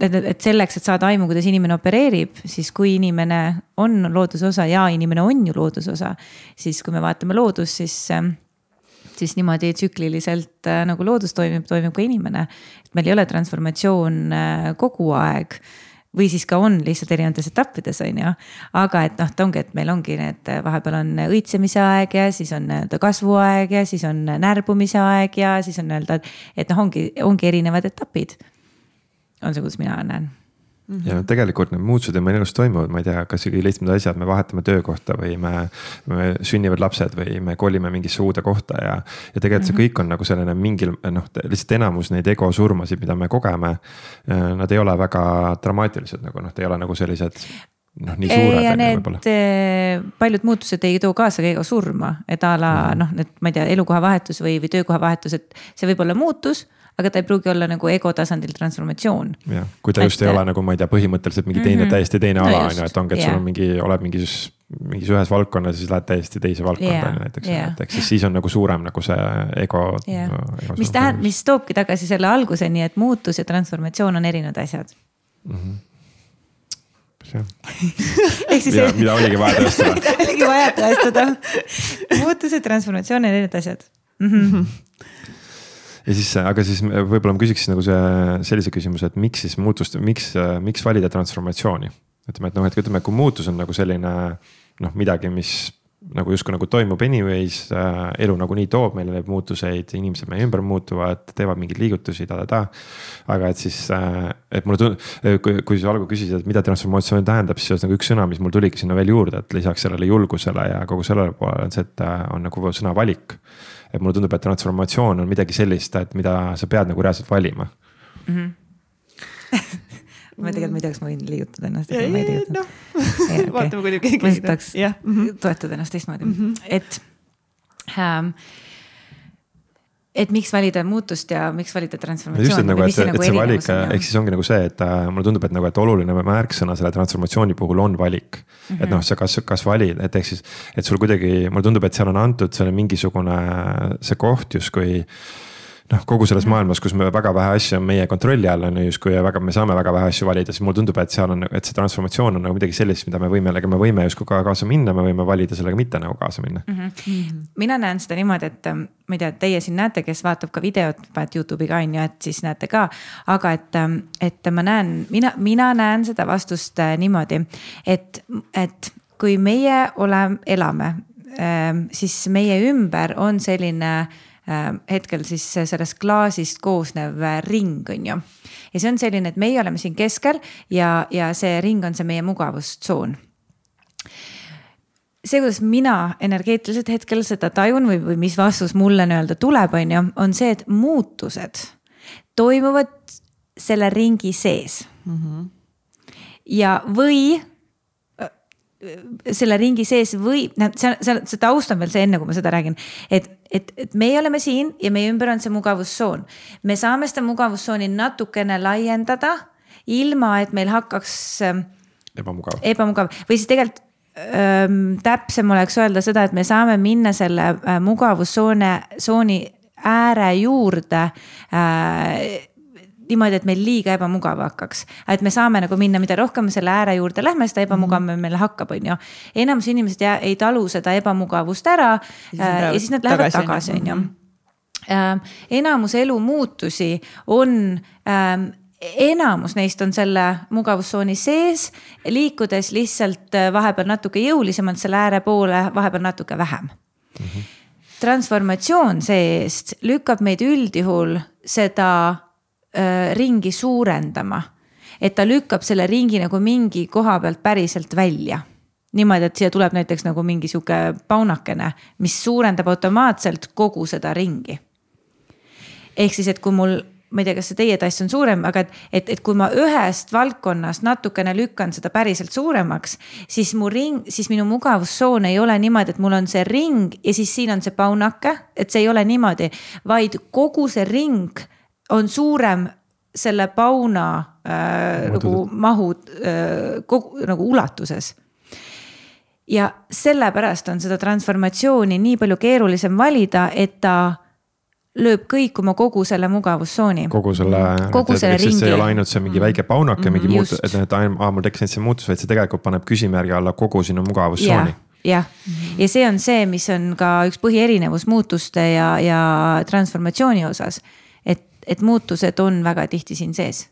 et, et selleks, et saada aimu, kuidas inimene opereerib, siis kui inimene on loodusosa ja inimene on ju loodusosa, siis kui me vaatame loodus, siis, siis niimoodi tsükliliselt nagu loodus toimib, toimib ka inimene. Et meil ei ole transformatsioon kogu aeg või siis ka on lihtsalt erinevates etappides on ju, aga et noh, ta ongi, et meil ongi need vahepeal on õitsemise aeg ja siis on kasvuaeg ja siis on närbumise aeg ja siis on öelda, et noh, ongi, ongi erinevad etapid. On see, kuidas mina näen. Mm-hmm. Ja no, tegelikult need muutused ja meil elus toimuvad, ma ei tea, kas ikkagi lihtsalt asjad, me vahetame töökohta või me, me sünnivad lapsed või me kolime mingisse uude kohta ja, ja tegelikult see kõik on nagu selline mingil, noh, lihtsalt enamus neid ego surmasid, mida me kogeme, nad ei ole väga dramaatilised, nagu noh, te ei ole nagu sellised noh, nii suured. Ja need võib-olla. Paljud muutused ei too kaasa ego surma, et a la mm-hmm. noh, need, ma ei tea, elukoha vahetus või, või töökoha vahetus, et see võib olla muutus, aga ta ei pruugi olla nagu ego tasandil transformatsioon. Ja, kui ta just et, ei ole nagu, ma ei tea, põhimõtteliselt mingi teine, mm-hmm. täiesti teine ala, no, et ongi, et yeah. sul on mingi, oled mingis, mingis ühes valdkonnas, siis lähed täiesti teise valdkonda yeah. näiteks. Yeah. Et siis, siis on nagu suurem nagu see ego. Yeah. No, ego mis, tähend, mis toobki tagasi selle alguseni, et muutus ja transformatsioon on erinevad asjad. Mm-hmm. mida, mida oligi vaja tõestada. oligi vaja tõestada. Muutus ja transformatsioon on erinevad asjad. Mm-hmm. ja siis, aga siis võib-olla ma küsiks nagu see sellise küsimuse, et miks siis muutust, miks, miks valida transformatsiooni? Ütleme, et noh, et ütleme, kui muutus on nagu selline noh, midagi, mis nagu justkui nagu toimub anyways, äh, elu nagu nii toob meile neid muutuseid, inimesed meie ümber muutuvad, teevad mingeid liigutusi, ta, ta, ta. Aga et siis, äh, et mulle tund-, kui, kui sa algul küsisid, et mida transformatsioon tähendab, siis nagu üks sõna, mis mul tuligi sinna veel juurde, et lisaks sellele julgusele ja kogu sellele poole on see, et on nagu sõna valik. Et mulle tundub, et transformatsioon on midagi sellist, et mida sa pead nagu reaalselt valima. Mm-hmm. ma tegelikult ma ei tea, kas ma võin liigutada ennast. Ja, ma ei liigutada. No. Okay. Vaatame, kui keegi ma tahaks yeah. mm-hmm. toetada ennast teistmoodi. Mm-hmm. Et, ähm, et miks valida muutust ja miks valida transformatsiooni? Just, et, nagu, et, et nagu see valik, ehk siis ongi nagu see, et äh, mulle tundub, et, nagu, et oluline märksõna selle transformatsiooni puhul on valik. Mm-hmm. Et noh, sa kas, kas valid, et ehk siis, et sul kuidagi, mulle tundub, et seal on antud selle mingisugune see koht justkui noh, kogu selles maailmas, kus me väga vähe asju on meie kontrolli all on justkui ja väga, me saame väga vähe asju valida, siis mulle tundub, et seal on, et see transformatsioon on nagu midagi sellist, mida me võime, me võime justkui ka kaasa minna, me võime valida sellega mitte nagu kaasa minna. Mm-hmm. Mm-hmm. Mina näen seda niimoodi, et ma ei tea, teie siin näete, kes vaatab ka videot, et YouTube'i ka on ju, et siis näete ka, aga et, et ma näen, mina, mina näen seda vastust niimoodi, et, et kui meie oleme, elame, siis meie ümber on selline hetkel siis sellest klaasist koosnev ring on ju. Ja see on selline, et meie oleme siin keskel ja, ja see ring on see meie mugavustsoon. See, kuidas mina energeetiliselt hetkel seda tajun või, või mis vastus mulle nii-öelda tuleb on ju, on see, et muutused toimuvad selle ringi sees. Mm-hmm. Ja või selle ringi sees või, see, see, see taust on veel see enne, kui ma seda räägin, et, et, et meie oleme siin ja meie ümber on see mugavustsoon. Me saame seda mugavustsooni natukene laiendada, ilma et meil hakkaks ebamugav, ebamugav. Või siis tegelikult ähm, täpsem oleks öelda seda, et me saame minna selle äh, mugavustsooni ääre juurde äh, niimoodi, et meil liiga ebamugav hakkaks. Et me saame nagu minna, mida rohkem selle ääre juurde lähme, seda ebamugav mm. meil hakkab, on ju. Enamus inimesed jää, ei talu seda ebamugavust ära ja, ja siis nad lähevad tagasi, on ju. Mm-hmm. Enamus elu muutusi on, enamus neist on selle mugavustsooni sees, liikudes lihtsalt vahepeal natuke jõulisemalt selle ääre poole, vahepeal natuke vähem. Mm-hmm. Transformatsioon seest lükkab meid üldjuhul seda ringi suurendama, et ta lükkab selle ringi nagu mingi koha pealt päriselt välja. Niimoodi, et siia tuleb näiteks nagu mingi siuke paunakene, mis suurendab automaatselt kogu seda ringi. Ehk siis, et kui mul, ma ei tea, kas see teie tass on suurem, aga et, et, et kui ma ühest valdkonnast natukene lükkan seda päriselt suuremaks, siis, mu ring, siis minu mugavustsoon ei ole niimoodi, et mul on see ring ja siis siin on see paunake, et see ei ole niimoodi, vaid kogu see ring on suurem selle pauna äh, nagu mahu äh, kogu, nagu ulatuses. Ja sellepärast on seda transformatsiooni nii palju keerulisem valida, et ta lööb kõikuma kogu selle mugavustsooni. Kogu selle, kogu et, selle et, ringi. See ei ole ainult see mingi väike paunake, mm-hmm, mingi muutus, et, et aa, mul tekkis see muutus, vaid see tegelikult paneb küsimärgi alla kogu sinu mugavustsooni. Jah, ja see on see, mis on ka üks põhierinevus muutuste ja, ja transformatsiooni osas. Et, et muutused on väga tihti siin sees.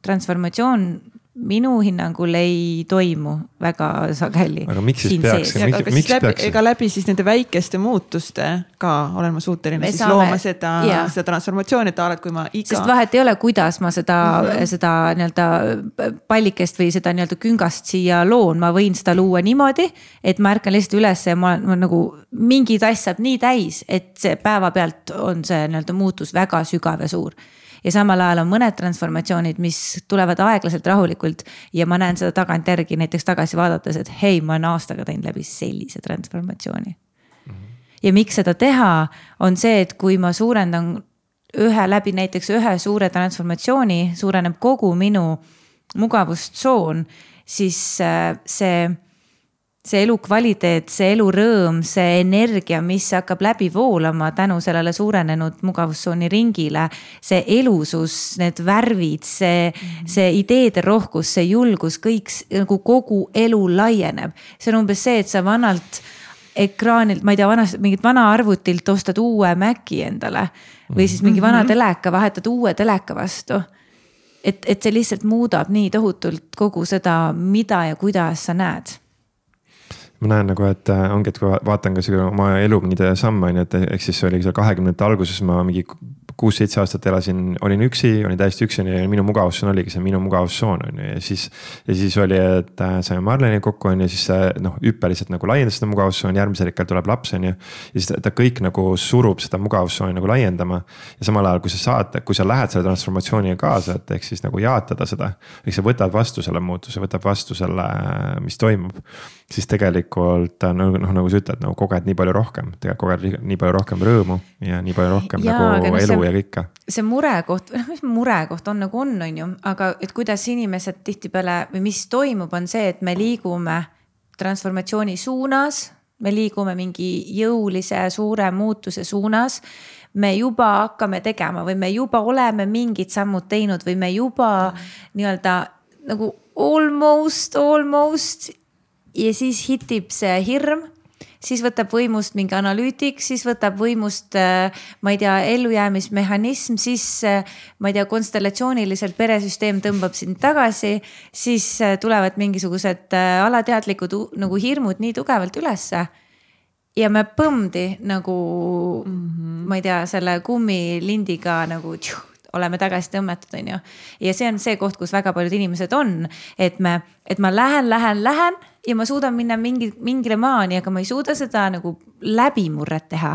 Transformatsioon minu hinnangul ei toimu väga sageli. Aga miks siis peaks? Ja, miks, miks läbi, peaks? Ega läbi siis nende väikeste muutuste ka olen ma suuteline me siis saame, looma seda, seda transformatsiooni, et alad, kui ma iga... Sest vahet ei ole, kuidas ma seda, mm-hmm. seda nii-öelda pallikest või seda nii-öelda küngast siia loon. Ma võin seda luua niimoodi, et ma ärkan lihtsalt üles ja ma, ma nagu mingi tass saab nii täis, et see päeva pealt on see nii-öelda muutus väga sügav ja suur. Ja samal ajal on mõned transformatsioonid, mis tulevad aeglaselt rahulikult ja ma näen seda tagant järgi näiteks tagasi vaadates, et hei, ma olen aastaga teinud läbi sellise transformatsiooni. Mm-hmm. Ja miks seda teha on see, et kui ma suurendan ühe läbi näiteks ühe suure transformatsiooni, suureneb kogu minu mugavustsoon, siis see see elu kvaliteet, see elu rõõm, see energia, mis hakkab läbi voolama tänu sellele suurenenud mugavustsooni ringile, see elusus, need värvid, see, mm-hmm. see ideede rohkus, see julgus, kõik nagu kogu elu laieneb. See on umbes see, et sa vanalt ekraanilt, ma ei tea, vanast, mingit vana arvutilt ostad uue Maci endale või siis mingi vana teleka, vahetad uue teleka vastu. Et, et see lihtsalt muudab nii tohutult kogu seda, mida ja kuidas sa näed. Ma näen nagu, et ongi, et kui vaatan ka oma elu mingide samme, et ehk siis oli seal kahekümnendate alguses ma mingi kuus-seitse aastat elasin, olin üksi, olin täiesti üksi ja minu mugavussoon oligi see minu mugavussoon on ju. Ja siis, ja siis oli, et saime Marleni kokku on ja siis noh, hüppeliselt nagu laiendas seda mugavussoon, järgmisel hetkel tuleb laps on ju. Ja siis ta kõik nagu surub seda mugavussooni nagu laiendama. Ja samal ajal, kui sa saad, kui sa lähed selle transformatsiooniga kaasa, et ehk siis nagu jaatada seda, ehk sa võtad vastu selle muutuse, võtab vastu selle, mis toimub, siis tegelikult noh, noh nagu sa ütled, nagu koged nii palju rohkem, tegelikult koged nii palju rohkem rõõmu ja nii palju rohkem ja, nagu elu see, ja kõike. See murekoht, mis murekoht on nagu on, on ju, aga et kuidas inimesed tihtipeale või mis toimub, on see, et me liigume transformatsiooni suunas, me liigume mingi jõulise suure muutuse suunas, me juba hakkame tegema või me juba oleme mingid sammud teinud või me juba mm. nii-öelda nagu almost, almost ja siis hitib see hirm, siis võtab võimust mingi analüütik, siis võtab võimust, ma ei tea, ellujäämismehhanism, siis ma ei tea, konstellatsiooniliselt peresüsteem tõmbab sind tagasi, siis tulevad mingisugused alateadlikud nagu hirmud nii tugevalt ülesse. Ja me põmdi nagu, mm-hmm. ma ei tea, selle kummilindiga nagu tjuh, oleme tagasi tõmmetud, on ju. Ja see on see koht, kus väga paljud inimesed on, et, me, et ma lähen, lähen, lähen ja ma suudan minna mingi, mingile maani, aga ma ei suuda seda nagu läbimurret teha.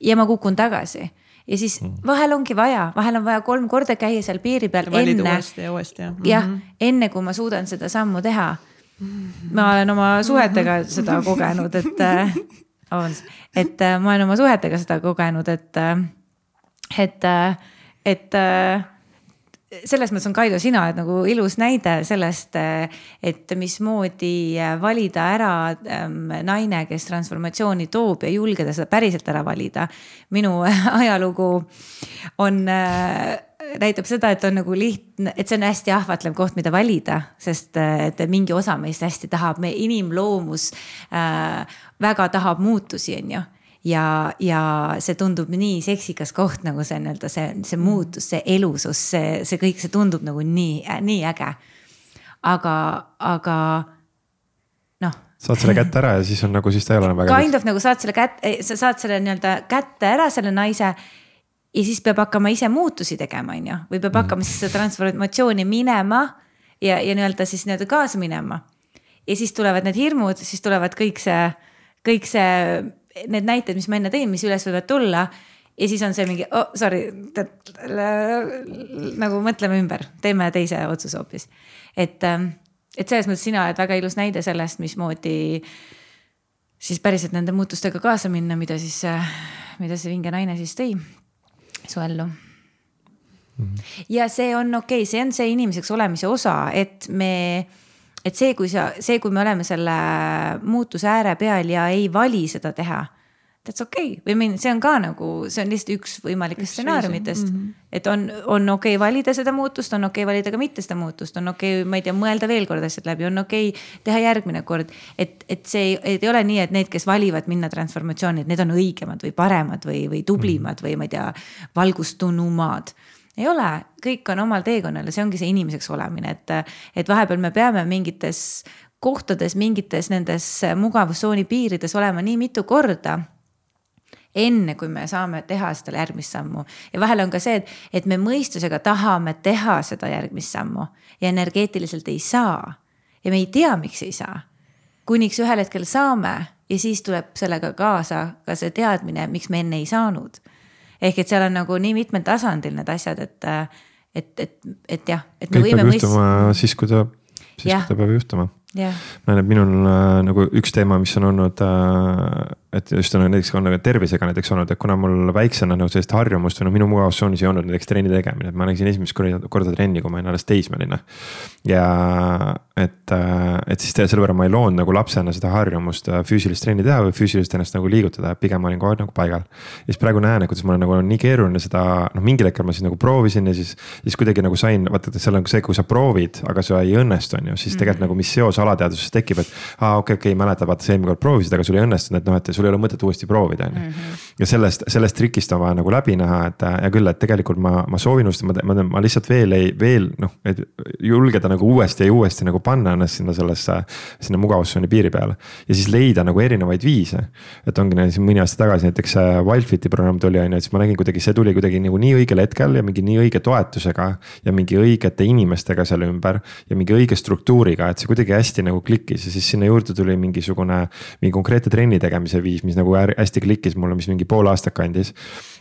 Ja ma kukun tagasi. Ja siis vahel ongi vaja, vahel on vaja kolm korda käia seal piiri peal enne, uuesti ja uuesti, ja. Mm-hmm. jah, enne kui ma suudan seda sammu teha. Ma olen oma suhetega seda kogenud, et, et ma olen oma suhetega seda kogenud, et, et et selles mõttes on Kaido, sina oled nagu ilus näide sellest, et mismoodi valida ära naine, kes transformatsiooni toob ja julgeda seda päriselt ära valida. Minu ajalugu on, näitab seda, et on nagu lihtne, et see on hästi ahvatlev koht, mida valida, sest et mingi osa meist hästi tahab, me inimloomus väga tahab muutusi, on ju. Ja, ja see tundub nii seksikas koht, nagu see, see, see muutus, see elusus, see, see kõik, see tundub nagu nii, nii äge. Aga, aga noh. Saad selle kätte ära ja siis on nagu, siis ta ei ole väga. Kind of nagu saad selle kätte, sa saad selle nii-öelda kätte ära selle naise ja siis peab hakkama ise muutusi tegema, on ju. Või peab hakkama siis seda transformatsiooni minema ja, ja nii-öelda siis nii-öelda kaasa minema. Ja siis tulevad need hirmud, siis tulevad kõik see, kõik see need näited, mis ma enne tõin, mis üles võivad tulla ja siis on see mingi, oh sorry, nagu mõtleme ümber, teeme teise otsuse hoopis. Et, et selles mõttes sina oled väga ilus näide sellest, mismoodi siis päriselt nende muutustega kaasa minna, mida siis, mida see vinge naine siis tõi su ellu. Mm-hmm. Ja see on okei, okay, see on see inimeseks olemise osa, et me Et see kui, sa, see, kui me oleme selle muutuse ääre peal ja ei vali seda teha, that's okei. Okay. Või see on ka nagu, see on lihtsalt üks võimalikest stsenaariumitest. Mm-hmm. Et on, on okei okay valida seda muutust, on okei okay valida ka mitte seda muutust, on okei okay, ma ei tea, mõelda veel kord asjad läbi, on okei okay teha järgmine kord. Et, et see et ei ole nii, et need, kes valivad minna transformatsiooni, et need on õigemad või paremad või, või tublimad või ma ei tea, valgustunumad. Ei ole, kõik on omal teekonnal ja see ongi see inimeseks olemine, et, et vahepeal me peame mingites kohtades, mingites nendes mugavussooni piirides olema nii mitu korda, enne kui me saame teha seda järgmist sammu. Ja vahel on ka see, et, et me mõistusega tahame teha seda järgmist sammu ja energeetiliselt ei saa. Ja me ei tea, miks ei saa. Kuniks ühel hetkel saame ja siis tuleb sellega kaasa ka see teadmine, miks me enne ei saanud. Ehk et seal on nagu nii mitmel tasandil need asjad, et, et, et, et jah. Et me kõik võime peab juhtuma mõist... siis, kui ta, siis, kui ta peab juhtuma. Yeah. Näen, et minul nagu üks teema, mis on olnud et just on näiteks on tervisega näiteks olnud, et kuna mul väiksena nagu sellist harjumust või no minu mugavustsoonis ei olnud näiteks trenni tegemine, et ma läksin esimest korda trenni, kui ma olin alles teismeline. Ja et, et siis selle võrra ma ei loonud nagu lapsena seda harjumust füüsilist trenni teha või füüsilist ennast nagu liigutada, pigem ma olin kogu aeg nagu paigal. Ja siis praegu näen, kuidas mul on nagu nii keeruline seda, noh mingil hetkel ma siis nagu proovisin ja siis, siis kuidagi nagu sain, vaata, et seal on see, kui sa proovid, aga see ei õnnestu, on ju, siis tegelikult mm-hmm. nagu mis seos alateadvuses tekib, et aa, okei, okei, mäleta, vaata, see eelmine kord proovisid, aga sul ei õnnestunud, et noh, et sul ei ole mõtet uuesti proovida, on ju. Mm-hmm. Ja sellest, sellest trikist on vaja nagu läbi näha, et ja küll, et tegelikult ma, ma soovin just, ma, ma, ma lihtsalt veel ei, veel noh, et julgeda nagu uuesti ja uuesti nagu panna ennast sinna sellesse, sinna mugavustsooni piiri peale. Ja siis leida nagu erinevaid viise. Et ongi näiteks mõni aasta tagasi näiteks Wildfiti programm tuli, on ju, et siis ma nägin kuidagi, see tuli kuidagi nagu nii õigel hetkel ja mingi nii õige toetusega ja mingi õigete inimestega seal ümber ja mingi õige struktuuriga, et see kuidagi hästi nagu klikkis ja siis sinna juurde tuli mingisugune, mingi konkreetne trenni tegemise viis, mis nagu hästi klikkis mulle, mis mingi pool aastat kandis.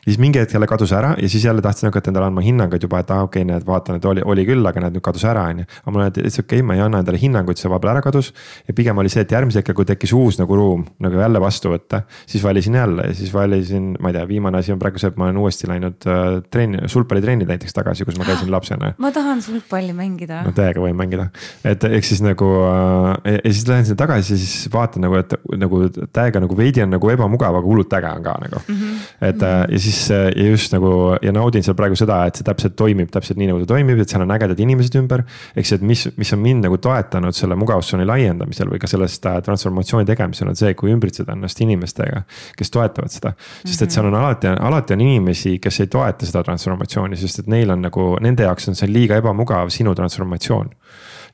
Ja siis mingi hetk jälle kadus ära ja siis jälle tahtsin hakata endale andma hinnanguid juba, et ah, okei okay,, need vaatan, et oli, oli küll, aga need nüüd kadus ära, on ju. Aga mulle, et okei okay,, ma ei anna endale hinnanguid, see vahepeal ära kadus. Ja pigem oli see, et järgmise hetkel, kui tekkis uus nagu ruum nagu jälle vastu võtta, siis valisin jälle ja siis valisin, ma ei tea, viimane asi on praegu see, et ma olen uuesti läinud uh, trenni, sulpallitrenni näiteks tagasi, kus ma käisin lapsena. Ma tahan sulpalli mängida. No täiega võin mängida. Et eks siis nagu uh, ja siis lähen sinna tagasi ja siis vaatan nagu, et nagu täiega nagu veidi on nagu ebamugav, aga hullult äge on ka nagu. Mm-hmm. Et uh, ja siis ja just nagu ja naudin seal praegu seda, et see täpselt toimib täpselt nii nagu ta toimib, et seal on ägedad inimesed ümber. Eks see, et mis, mis on mind nagu toetanud selle mugavustsooni laiendamisel või ka sellest transformatsiooni tegemisel on see, kui ümbritseda ennast inimestega, kes toetavad seda. Sest et seal on alati, alati on inimesi, kes ei toeta seda transformatsiooni, sest et neil on nagu, nende jaoks on see liiga ebamugav sinu transformatsioon.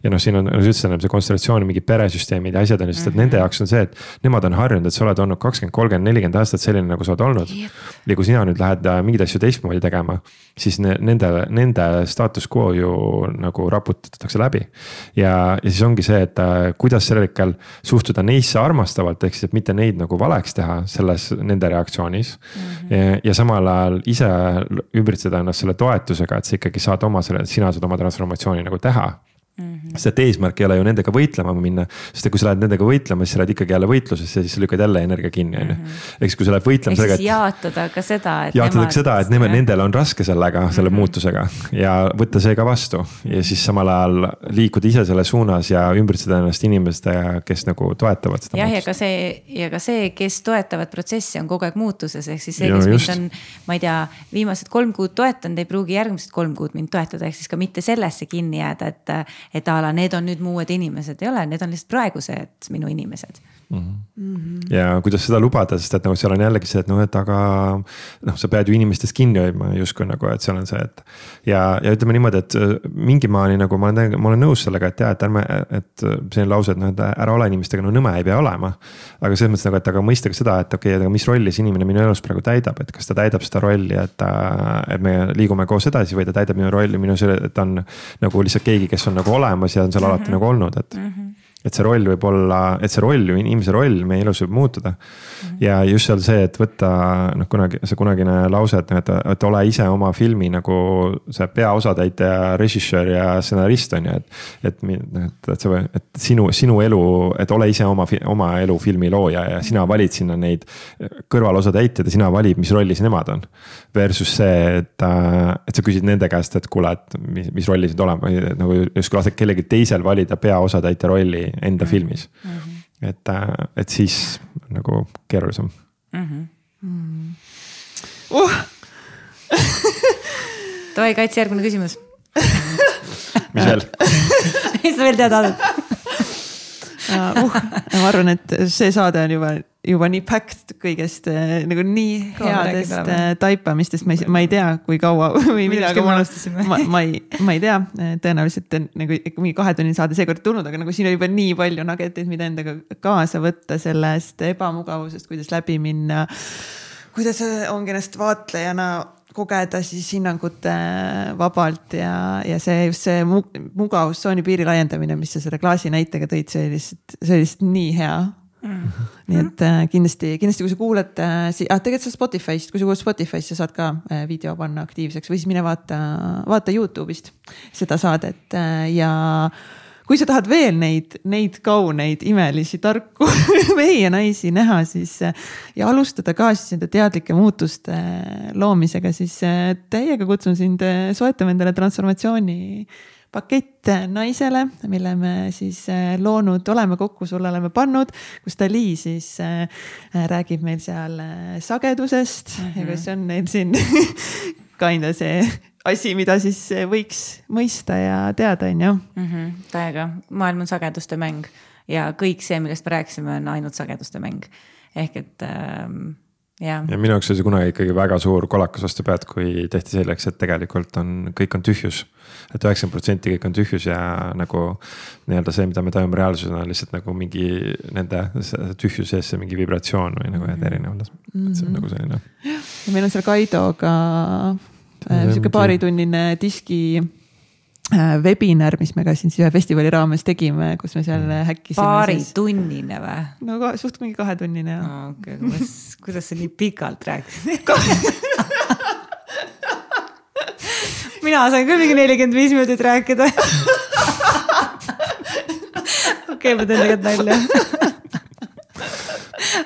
Ja noh, siin on, nagu sa ütlesid, see konstellatsioon, mingi peresüsteemid ja asjad on just, et nende jaoks on see, et nemad on harjunud, et sa oled olnud kakskümmend, kolmkümmend, nelikümmend aastat selline, nagu sa oled olnud. Ja kui sina nüüd lähed mingeid asju teistmoodi tegema, siis nende, nende status quo ju nagu raputatakse läbi. Ja, ja siis ongi see, et kuidas sellel hetkel suhtuda neisse armastavalt, ehk siis, et mitte neid nagu valeks teha selles, nende reaktsioonis. Mm-hmm. Ja, ja samal ajal ise ümbritseda ennast selle toetusega, et sa ikkagi saad oma selle, sina saad oma transformatsiooni nagu teha. Mm-hmm. Sest et eesmärk ei ole ju nendega võitlema minna, sest et kui sa lähed nendega võitlema, siis sa lähed ikkagi jälle võitlusesse ja siis sa lükkad jälle energia kinni. Mm-hmm. Eks kui sa lähed võitlema sellega, et jaatada ka seda, et jaatada ka seda, et nemad, nendel on raske sellega, selle mm-hmm. muutusega ja võtta see ka vastu ja siis samal ajal liikuda ise selle suunas ja ümbritseda ennast inimestega, kes nagu toetavad seda. Jah, ja ka see, ja ka see, kes toetavad protsessi on kogu aeg muutuses, ehk siis see, kes mind on, ma ei tea, viimased kolm kuud toetanud, ei pruugi järgmised kolm kuud mind toetada, ehk siis ka mitte sellesse kinni jääda, et et ala, need on nüüd muued inimesed, ei ole, need on lihtsalt praegused minu inimesed. Mm-hmm. Mm-hmm. Ja kuidas seda lubada, sest et nagu seal on jällegi see, et noh, et aga noh, sa pead ju inimestest kinni hoidma justkui nagu, et seal on see, et ja, ja ütleme niimoodi, et mingi maani nagu ma olen, ma olen nõus sellega, et jah, et ärme, et see on lause, et noh, et ära ole inimestega, no nõme ei pea olema. Aga selles mõttes nagu, et aga mõista ka seda, et okei, okay, mis rolli see inimene minu elus praegu täidab, et kas ta täidab seda rolli, et, et me liigume koos edasi või ta täidab minu rolli, minu selle, et ta on nagu lihtsalt keegi, kes on nagu olemas ja on seal alati mm-hmm. nagu olnud, et mm-hmm. et see roll võib olla, et see roll, inimese roll meie elus võib muutuda. Mm-hmm. Ja just seal see, et võtta noh, kunagi, see kunagine lause, et, et, et ole ise oma filmi nagu see peaosatäitja, režissöör ja stsenarist on ju, et, et, et, et, see, et sinu, sinu elu, et ole ise oma, oma elu filmi looja ja sina valid sinna neid kõrvalosatäitjad ja sina valid, mis rollis nemad on. Versus see, et, et sa küsid nende käest, et kuule, et mis, mis rollis need olema, nagu just kui lased kellegi teisel valida peaosatäitja rolli enda mm-hmm. filmis. Mm-hmm. Et, et siis nagu keerulisem. Mm-hmm. Mm. Uh! Tohi Kaitsi järgmine küsimus. Mis veel? Mis sa veel tead olnud? uh, ma arvan, et see saade on juba juba nii packed kõigest nagu nii headest taipamistest, ma ei, ma ei tea, kui kaua või midagi ma, ma, ma, ei, ma ei tea, tõenäoliselt nagu mingi kahe tunni saade seekord tulnud, aga nagu siin on juba nii palju nageteid, mida endaga kaasa võtta sellest ebamugavusest, kuidas läbi minna, kuidas ongi ennast vaatlejana kogeda siis hinnangute vabalt ja, ja see just see mugavustsooni piiri laiendamine, mis sa selle klaasi näitega tõid, see oli lihtsalt, see oli lihtsalt nii hea. Mm. Nii et äh, kindlasti, kindlasti kui sa kuulad äh, si- ah, tegelikult sa Spotify'st, kui sa kuulad Spotify'st, sa saad ka äh, video panna aktiivseks või siis mine vaata, vaata YouTube'ist seda saadet äh, ja kui sa tahad veel neid, neid kauneid, imelisi, tarku mehi ja naisi näha, siis ja alustada ka siis enda teadlike muutuste loomisega, siis täiega kutsun sind soetama endale transformatsiooni pakett naisele, mille me siis loonud oleme, kokku sulle oleme pannud, kus Dali siis räägib meil seal sagedusest mm -hmm. ja kus on neil siin kinda see asi, mida siis võiks mõista ja teada, on ju. Mm -hmm, täiega, maailm on sageduste mäng ja kõik see, millest me rääkisime, on ainult sageduste mäng. Ehk et ähm, ja. ja minu jaoks oli see kunagi ikkagi väga suur kolakas vastu pead, kui tehti selleks, et tegelikult on, kõik on tühjus. Et üheksakümmend protsenti kõik on tühjus ja nagu nii-öelda see, mida me tajume reaalsusena, on lihtsalt nagu mingi nende tühjus sees see mingi vibratsioon või nagu mm-hmm. erinev. Et see on nagu selline. Ja meil on seal Kaidoga siuke paaritunnine diski webinar, mis me ka siin ühe festivali raames tegime, kus me seal häkkisime. Paaritunnine või? No suht mingi kahetunnine. Oh, okay. kuidas, kuidas sa nii pikalt rääkisid? Mina sain küll mingi nelikümmend viis minutit rääkida. Okei, ma teen tegelikult välja.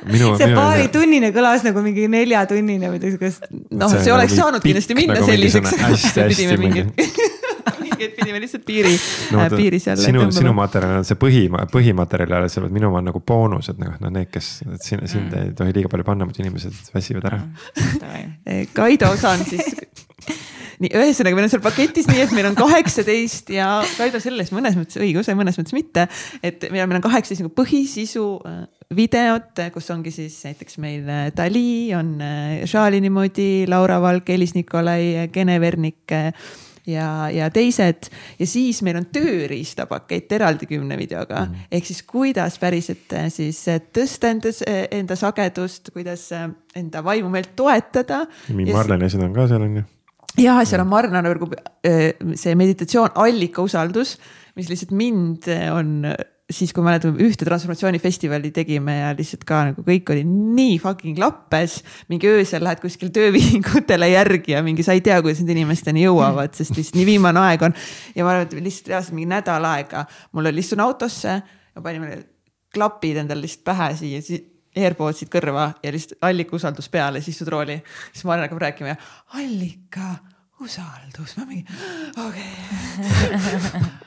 Minu, see paari tunnine kõlas nagu mingi nelja tunnine või tõesikast. Noh, see, see oleks nagu saanud kindlasti minna nagu selliseks. Hästi, hästi mingi. Et pidime lihtsalt piiri, no, äh, piiri seal sinu, sinu materjal on see põhi, põhimaterjal, see minu on nagu boonus, et noh, need, kes sind, sind mm. ei tohi liiga palju panna, muidu inimesed väsivad ära. Kaido osaan siis nii, ühesõnaga meil on seal paketis nii, et meil on kaheksateist ja Kaido selles mõnes mõttes õigus ja mõnes mõttes mitte, et meil on kaheksateist nagu põhisisu videot, kus ongi siis näiteks meil Dali, on Šaali niimoodi, Laura Valk, Elis Nikolai, Gene Vernik ja, ja teised ja siis meil on tööriistapakett eraldi kümne videoga mm. ehk siis kuidas päriselt siis tõsta enda, enda sagedust, kuidas enda vaimu meelt toetada. Marlene asjad on ka seal on ju. Ja seal on Marlene võrgu see meditatsioon allika usaldus, mis lihtsalt mind on siis, kui mäletame ühte transformatsioonifestivali tegime ja lihtsalt ka nagu kõik oli nii fucking lappes, mingi öösel lähed kuskil töövihingutele järgi ja mingi sa ei tea, kuidas need inimesteni jõuavad, sest lihtsalt nii viimane aeg on ja ma arvan, et lihtsalt reaalselt mingi nädal aega mul oli istun autosse ja panime klapid endal lihtsalt pähe siia, AirPodsid kõrva ja lihtsalt allika usaldus peale, siis istud rooli, siis ma hakkab rääkima ja allika usaldus, ma mingi, okei,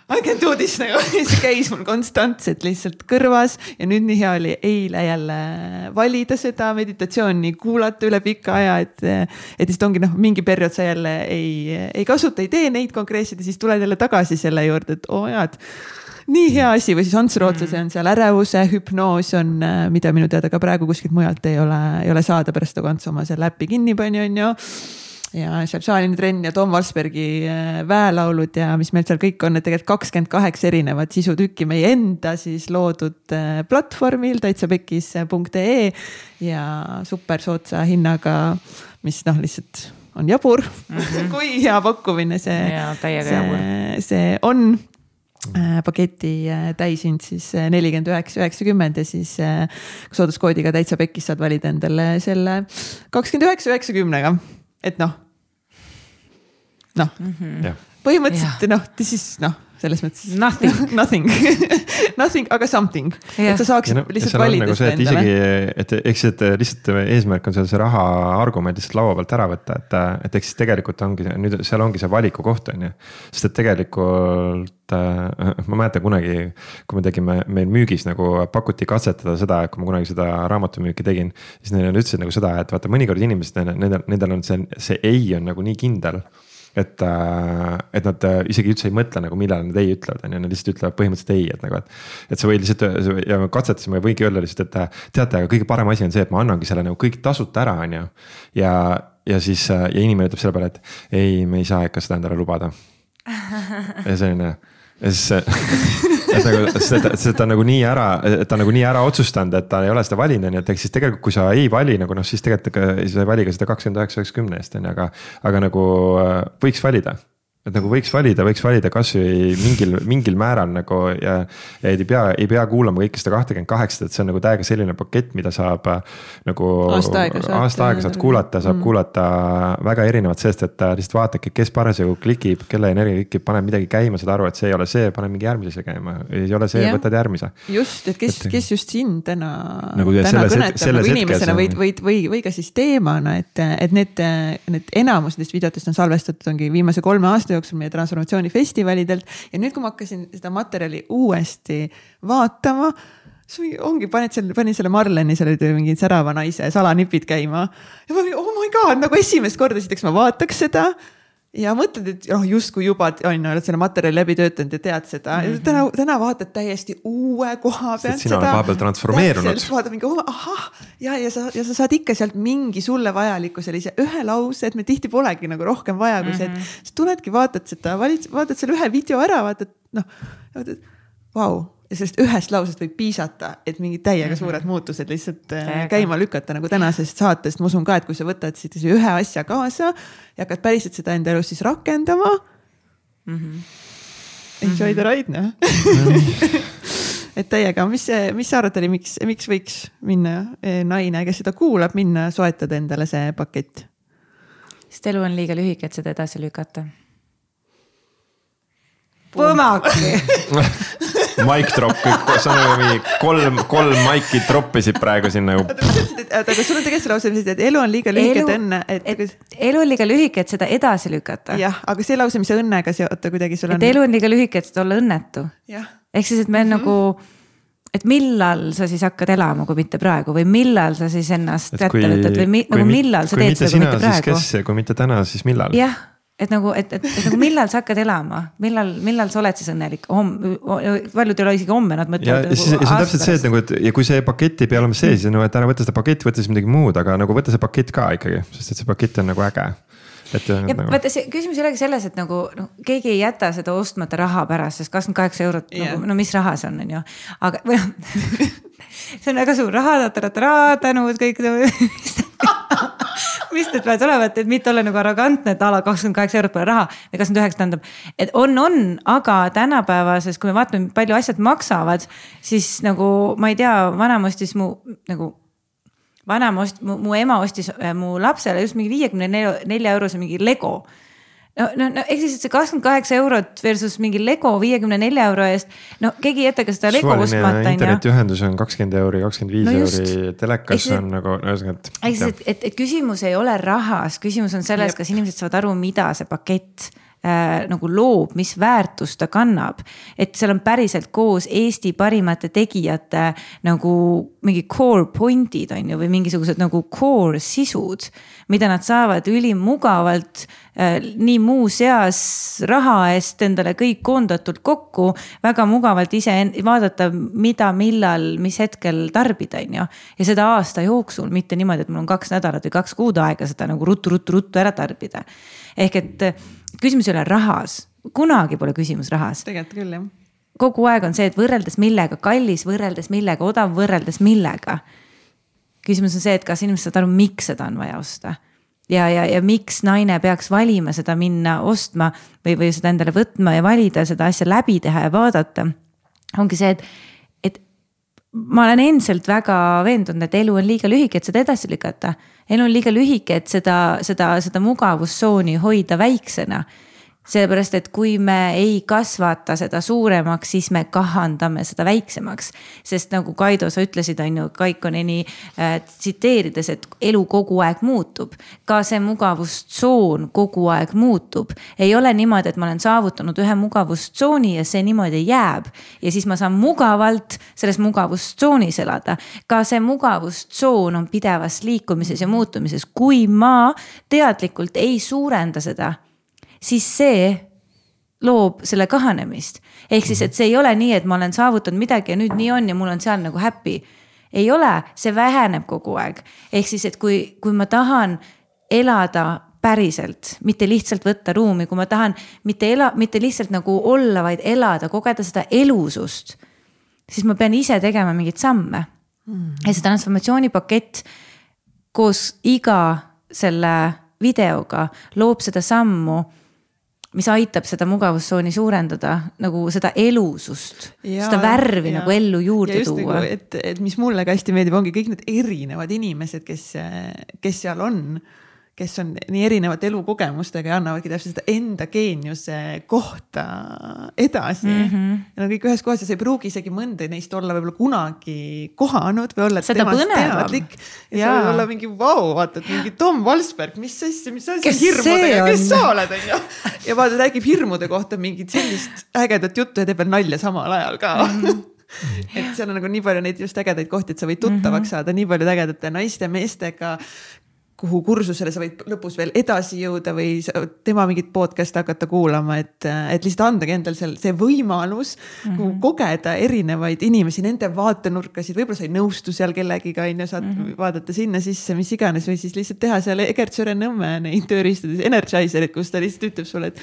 I can do this nagu, see käis mul konstantselt lihtsalt kõrvas ja nüüd nii hea oli eile jälle valida seda meditatsiooni, kuulata üle pika aja, et, et siis ongi noh, mingi periood sa jälle ei, ei kasuta, ei tee neid konkreetseid ja siis tuled jälle tagasi selle juurde, et oo jad, nii hea asi või siis Ants Rootsa, see on seal ärevuse, hüpnoos on, mida minu teada ka praegu kuskilt mujalt ei ole, ei ole saada pärast nagu Ants oma selle äppi kinni pani on ju. Ja seal Šaalini trenn ja Tom Valsbergi väelaulud ja mis meil seal kõik on, et tegelikult kakskümmend kaheksa erinevat sisutükki meie enda siis loodud platvormil täitsapekis punkt ee ja super sootsa hinnaga, mis noh lihtsalt on jabur mm-hmm. kui hea pakkumine see, ja, see, see on. Paketi täisind siis nelikümmend üheksa üheksakümmend ja siis sooduskoodiga täitsapekis saad valida endale selle kakskümmend üheksa üheksakümnega. Et noh, noh, mm-hmm. põhimõtteliselt yeah. noh, siis noh, selles mõttes nothing, nothing, nothing, aga something, yeah. et sa saaksid no, lihtsalt valida nagu see, et isegi, et eks et lihtsalt eesmärk on seal see raha argument lihtsalt laua pealt ära võtta, et, et eks tegelikult ongi, nüüd seal ongi see valiku koht on ju, sest et tegelikult ma mäletan kunagi, kui me tegime, meil müügis nagu pakuti katsetada seda, kui ma kunagi seda raamatumüüki tegin, siis neile ütlesid nagu seda, et vaata mõnikord inimesed, nendel, nendel on see, see ei on nagu nii kindel, et, et nad isegi üldse ei mõtle nagu millal nad ei ütlevad, ja nad lihtsalt ütlevad põhimõtteliselt ei, et nagu, et, et sa võid lihtsalt, ja me katsetasime, võigi öelda lihtsalt, et teate, aga kõige parem asi on see, et ma annangi selle nagu kõik tasuta ära, on ju, ja, ja siis, ja inimene ütleb selle peale, et ei, me ei saa ikka seda endale lubada. Ja selline ja siis et nagu, see ta nagu nii ära, et ta nagu nii ära otsustanud, et ta ei ole seda valinud, et eks siis tegelikult, kui sa ei vali, nagu noh, siis tegelikult sa ei vali ka seda kakskümmend üheksa üheksakümne eest, aga, aga nagu võiks valida. et nagu võiks valida, võiks valida kasvõi mingil, mingil määral nagu ja, ja ei pea, ei pea kuulama kõike seda kakskümmend kaheksa, et see on nagu täiega selline pakett, mida saab nagu aasta aega saad, aasta aega saad kuulata, saab mm. kuulata väga erinevat, sest et lihtsalt vaadake, kes parasjagu klikib, kelle energia klikib, paneb midagi käima, saad aru, et see ei ole see, paneb mingi järgmise käima, ei ole see, võtad järgmise. Just, et kes, et, kes just sind täna, nagu täna kõnetab nagu inimesena või, või, või, või ka siis teemana, et, et need, need enamus nendest videotest on salvestatud ongi viimase kolme aasta jooksul meie transformatsioonifestivalidelt ja nüüd, kui ma hakkasin seda materjali uuesti vaatama, ongi, paned selle, panin selle Marleni, selle mingi särava naise salanipid käima ja ma olin, oh my god, nagu esimest korda sitaks ma vaataks seda ja mõtled, et oh, justkui juba on, oled selle materjali läbi töötanud ja tead seda mm. -hmm. täna, täna vaatad täiesti uue koha pealt. Sina oled vahepeal transformeerunud. Vaatad mingi, oh, ahah, ja, ja, sa, ja sa saad ikka sealt mingi sulle vajaliku sellise ühe lause, et me tihti polegi nagu rohkem vaja, kui see, et sa tuledki, vaatad seda, valid, vaatad selle ühe video ära, vaatad, noh, vaatad, vau. Ja sellest ühest lausest võib piisata, et mingid täiega suured muutused lihtsalt Täiega. käima lükata nagu tänasest saatest. Ma usun ka, et kui sa võtad siit ühe asja kaasa ja hakkad päriselt seda enda elus siis rakendama. Mm-hmm. Enjoy the ride, noh. Et täiega, mis, mis sa arvad oli, miks, miks võiks minna naine, kes seda kuulab, minna soetada endale see pakett? Sest elu on liiga lühike, et seda edasi lükata. Põmaki! Mic drop, sa on mingi kolm, kolm maiki droppisid praegu siin nagu. Aga sul on tegelikult see lause, et elu on liiga lühike, et õnne. Et, et elu on liiga lühike, et seda edasi lükata. Jah, aga see lause, mis õnnega seota kuidagi sul on. Et elu on liiga lühike, et olla õnnetu. Ehk siis, et me mm-hmm. nagu, et millal sa siis hakkad elama, kui mitte praegu või millal sa siis ennast kätte võtad või mi, nagu millal sa teed seda, kui mitte praegu. Kes, kui mitte täna, siis millal? Jah. Et nagu, et, et, et nagu millal sa hakkad elama, millal, millal sa oled siis õnnelik, paljud ei ole isegi homme, nad mõtlevad. Ja, ja siis, nagu see on täpselt see, et, nagu, et ja kui see pakett ei pea olema see, siis no, et ära võtta seda pakett, võtta siis midagi muud, aga nagu võtta see pakett ka ikkagi, sest et see pakett on nagu äge. Et, ja nagu... vaata, see küsimus ei olegi selles, et nagu no, keegi ei jäta seda ostmata raha pärast, sest kakskümmend kaheksa eurot, yeah. nagu, no mis raha see on, on ju, aga või, see on väga suur raha, tänud, kõik mis need peavad olema, et mitte olla nagu arrogantne, et ala kakskümmend kaheksa eurot pole raha või kakskümmend üheksa tähendab, et on, on, aga tänapäevases, kui me vaatame, palju asjad maksavad, siis nagu ma ei tea, vanem ostis mu nagu vanem ost, mu, mu ema ostis mu lapsele just mingi viiekümne nelja eurose mingi Lego. No, no, no eks siis, et see kakskümmend kaheksa eurot versus mingi Lego viiekümne nelja euro eest, no keegi ei jäta ka seda Lego ostmata. Internetiühendus on kakskümmend euri, kakskümmend viis no euri, telekas see, on nagu... Et, et, et, et küsimus ei ole rahas, küsimus on selles, Jep. kas inimesed saavad aru, mida see pakett äh, nagu loob, mis väärtust ta kannab. Et seal on päriselt koos Eesti parimate tegijate nagu mingi core pointid on ju, või mingisugused nagu core sisud, mida nad saavad ülimugavalt äh, nii muu seas raha eest endale kõik koondatult kokku, väga mugavalt ise vaadata, mida, millal, mis hetkel tarbida on ju. Ja seda aasta jooksul, mitte niimoodi, et mul on kaks nädalat või kaks kuud aega seda nagu ruttu, ruttu, ruttu ära tarbida. Ehk et küsimus ei ole rahas, kunagi pole küsimus rahas. Tegelikult küll, jah. Kogu aeg on see, et võrreldes millega, kallis võrreldes millega, odav võrreldes millega. Küsimus on see, et kas inimesed saavad aru, miks seda on vaja osta. Ja, ja, ja miks naine peaks valima seda minna ostma või, või seda endale võtma ja valida seda asja läbi teha ja vaadata. Ongi see, et, et ma olen endiselt väga veendunud, et elu on liiga lühike, et seda edasi lükata. Elu on liiga lühike, et seda, seda, seda mugavustsooni hoida väiksena. Sellepärast, et kui me ei kasvata seda suuremaks, siis me kahandame seda väiksemaks. Sest nagu Kaido, sa ütlesid, on ju, Kaikoneni äh, tsiteerides, et elu kogu aeg muutub. Ka see mugavustsoon kogu aeg muutub. Ei ole niimoodi, et ma olen saavutanud ühe mugavustsooni ja see niimoodi jääb. Ja siis ma saan mugavalt selles mugavustsoonis elada. Ka see mugavustsoon on pidevas liikumises ja muutumises. Kui ma teadlikult ei suurenda seda, siis see loob selle kahanemist. Ehk siis, et see ei ole nii, et ma olen saavutanud midagi ja nüüd nii on ja mul on seal nagu happy. Ei ole, see väheneb kogu aeg. Ehk siis, et kui, kui ma tahan elada päriselt, mitte lihtsalt võtta ruumi, kui ma tahan mitte, ela, mitte lihtsalt nagu olla, vaid elada, kogeda seda elusust, siis ma pean ise tegema mingit samme. Mm. Ja see transformatsioonipakett koos iga selle videoga loob seda sammu, mis aitab seda mugavustsooni suurendada, nagu seda elusust, ja, seda värvi ja, nagu ellu juurde tuua. Nagu, et, et mis mulle ka hästi meeldib, ongi kõik need erinevad inimesed, kes, kes seal on, kes on nii erinevate elukogemustega ja annavadki täpselt seda enda geeniuse kohta edasi. Mm -hmm. Ja no kõik ühes kohas ja sa ei pruugi isegi mõnda neist olla võib-olla kunagi kohanud või olla seda temast teadlik. Ja, ja. sa võib olla mingi vau, wow, vaata, et mingi Tom Valsberg, mis asja, mis asja hirmudega, kes sa oled, on ju. Ja vaata, räägib hirmude kohta mingit sellist ägedat juttu ja teeb veel nalja samal ajal ka. Mm -hmm. Et seal on nagu nii palju neid just ägedaid kohti, et sa võid tuttavaks mm -hmm. saada nii palju ägedate naiste, meestega, kuhu kursusele sa võid lõpus veel edasi jõuda või tema mingit podcast hakata kuulama, et, et lihtsalt andagi endal seal see võimalus mm -hmm. kogeda erinevaid inimesi, nende vaatenurkasid, võib-olla sa ei nõustu seal kellegiga, ja saad mm -hmm. vaadata sinna sisse, mis iganes, või siis lihtsalt teha seal Egert Sõre-Nõmme neid tööriistades Energizerit, kus ta lihtsalt ütleb sulle, et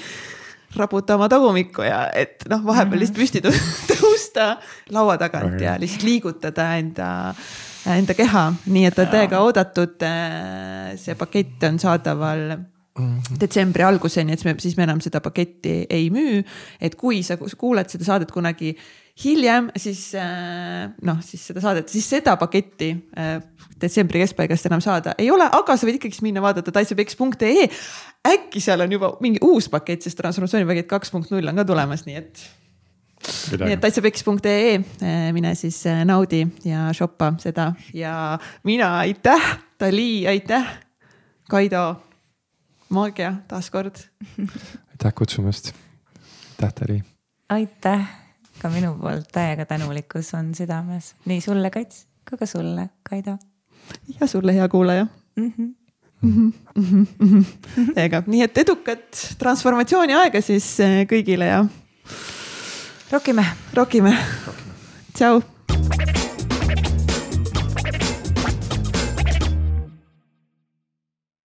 raputa oma tagumikku ja et noh, vahepeal lihtsalt püsti tõusta laua tagant ja lihtsalt liigutada enda enda keha, nii et on täiega oodatud. See pakett on saadaval detsembri alguseni, et me, siis me enam seda paketti ei müü. Et kui sa kuuled seda saadet kunagi hiljem, siis noh, siis seda saadet, siis seda paketti detsembri keskpaigast enam saada ei ole, aga sa võid ikkagi minna vaadata taitsapeks punkt ee. Äkki seal on juba mingi uus pakett, sest transformatsioonipakett kaks punkt null on ka tulemas, nii et nii et taitsapeks punkt ee, mine siis naudi ja shoppa seda ja mina aitäh, Dali, aitäh, Kaido, Maagia taaskord. Aitäh kutsumast, aitäh Dali. Aitäh, ka minu poolt täiega tänulikkus on südames, nii sulle Kats, kui ka sulle Kaido. Ja sulle hea kuulaja. Mm-hmm. Mm-hmm. Mm-hmm. Ega, nii et edukat transformatsiooni aega siis kõigile ja Rokime. Rokime. Tšau.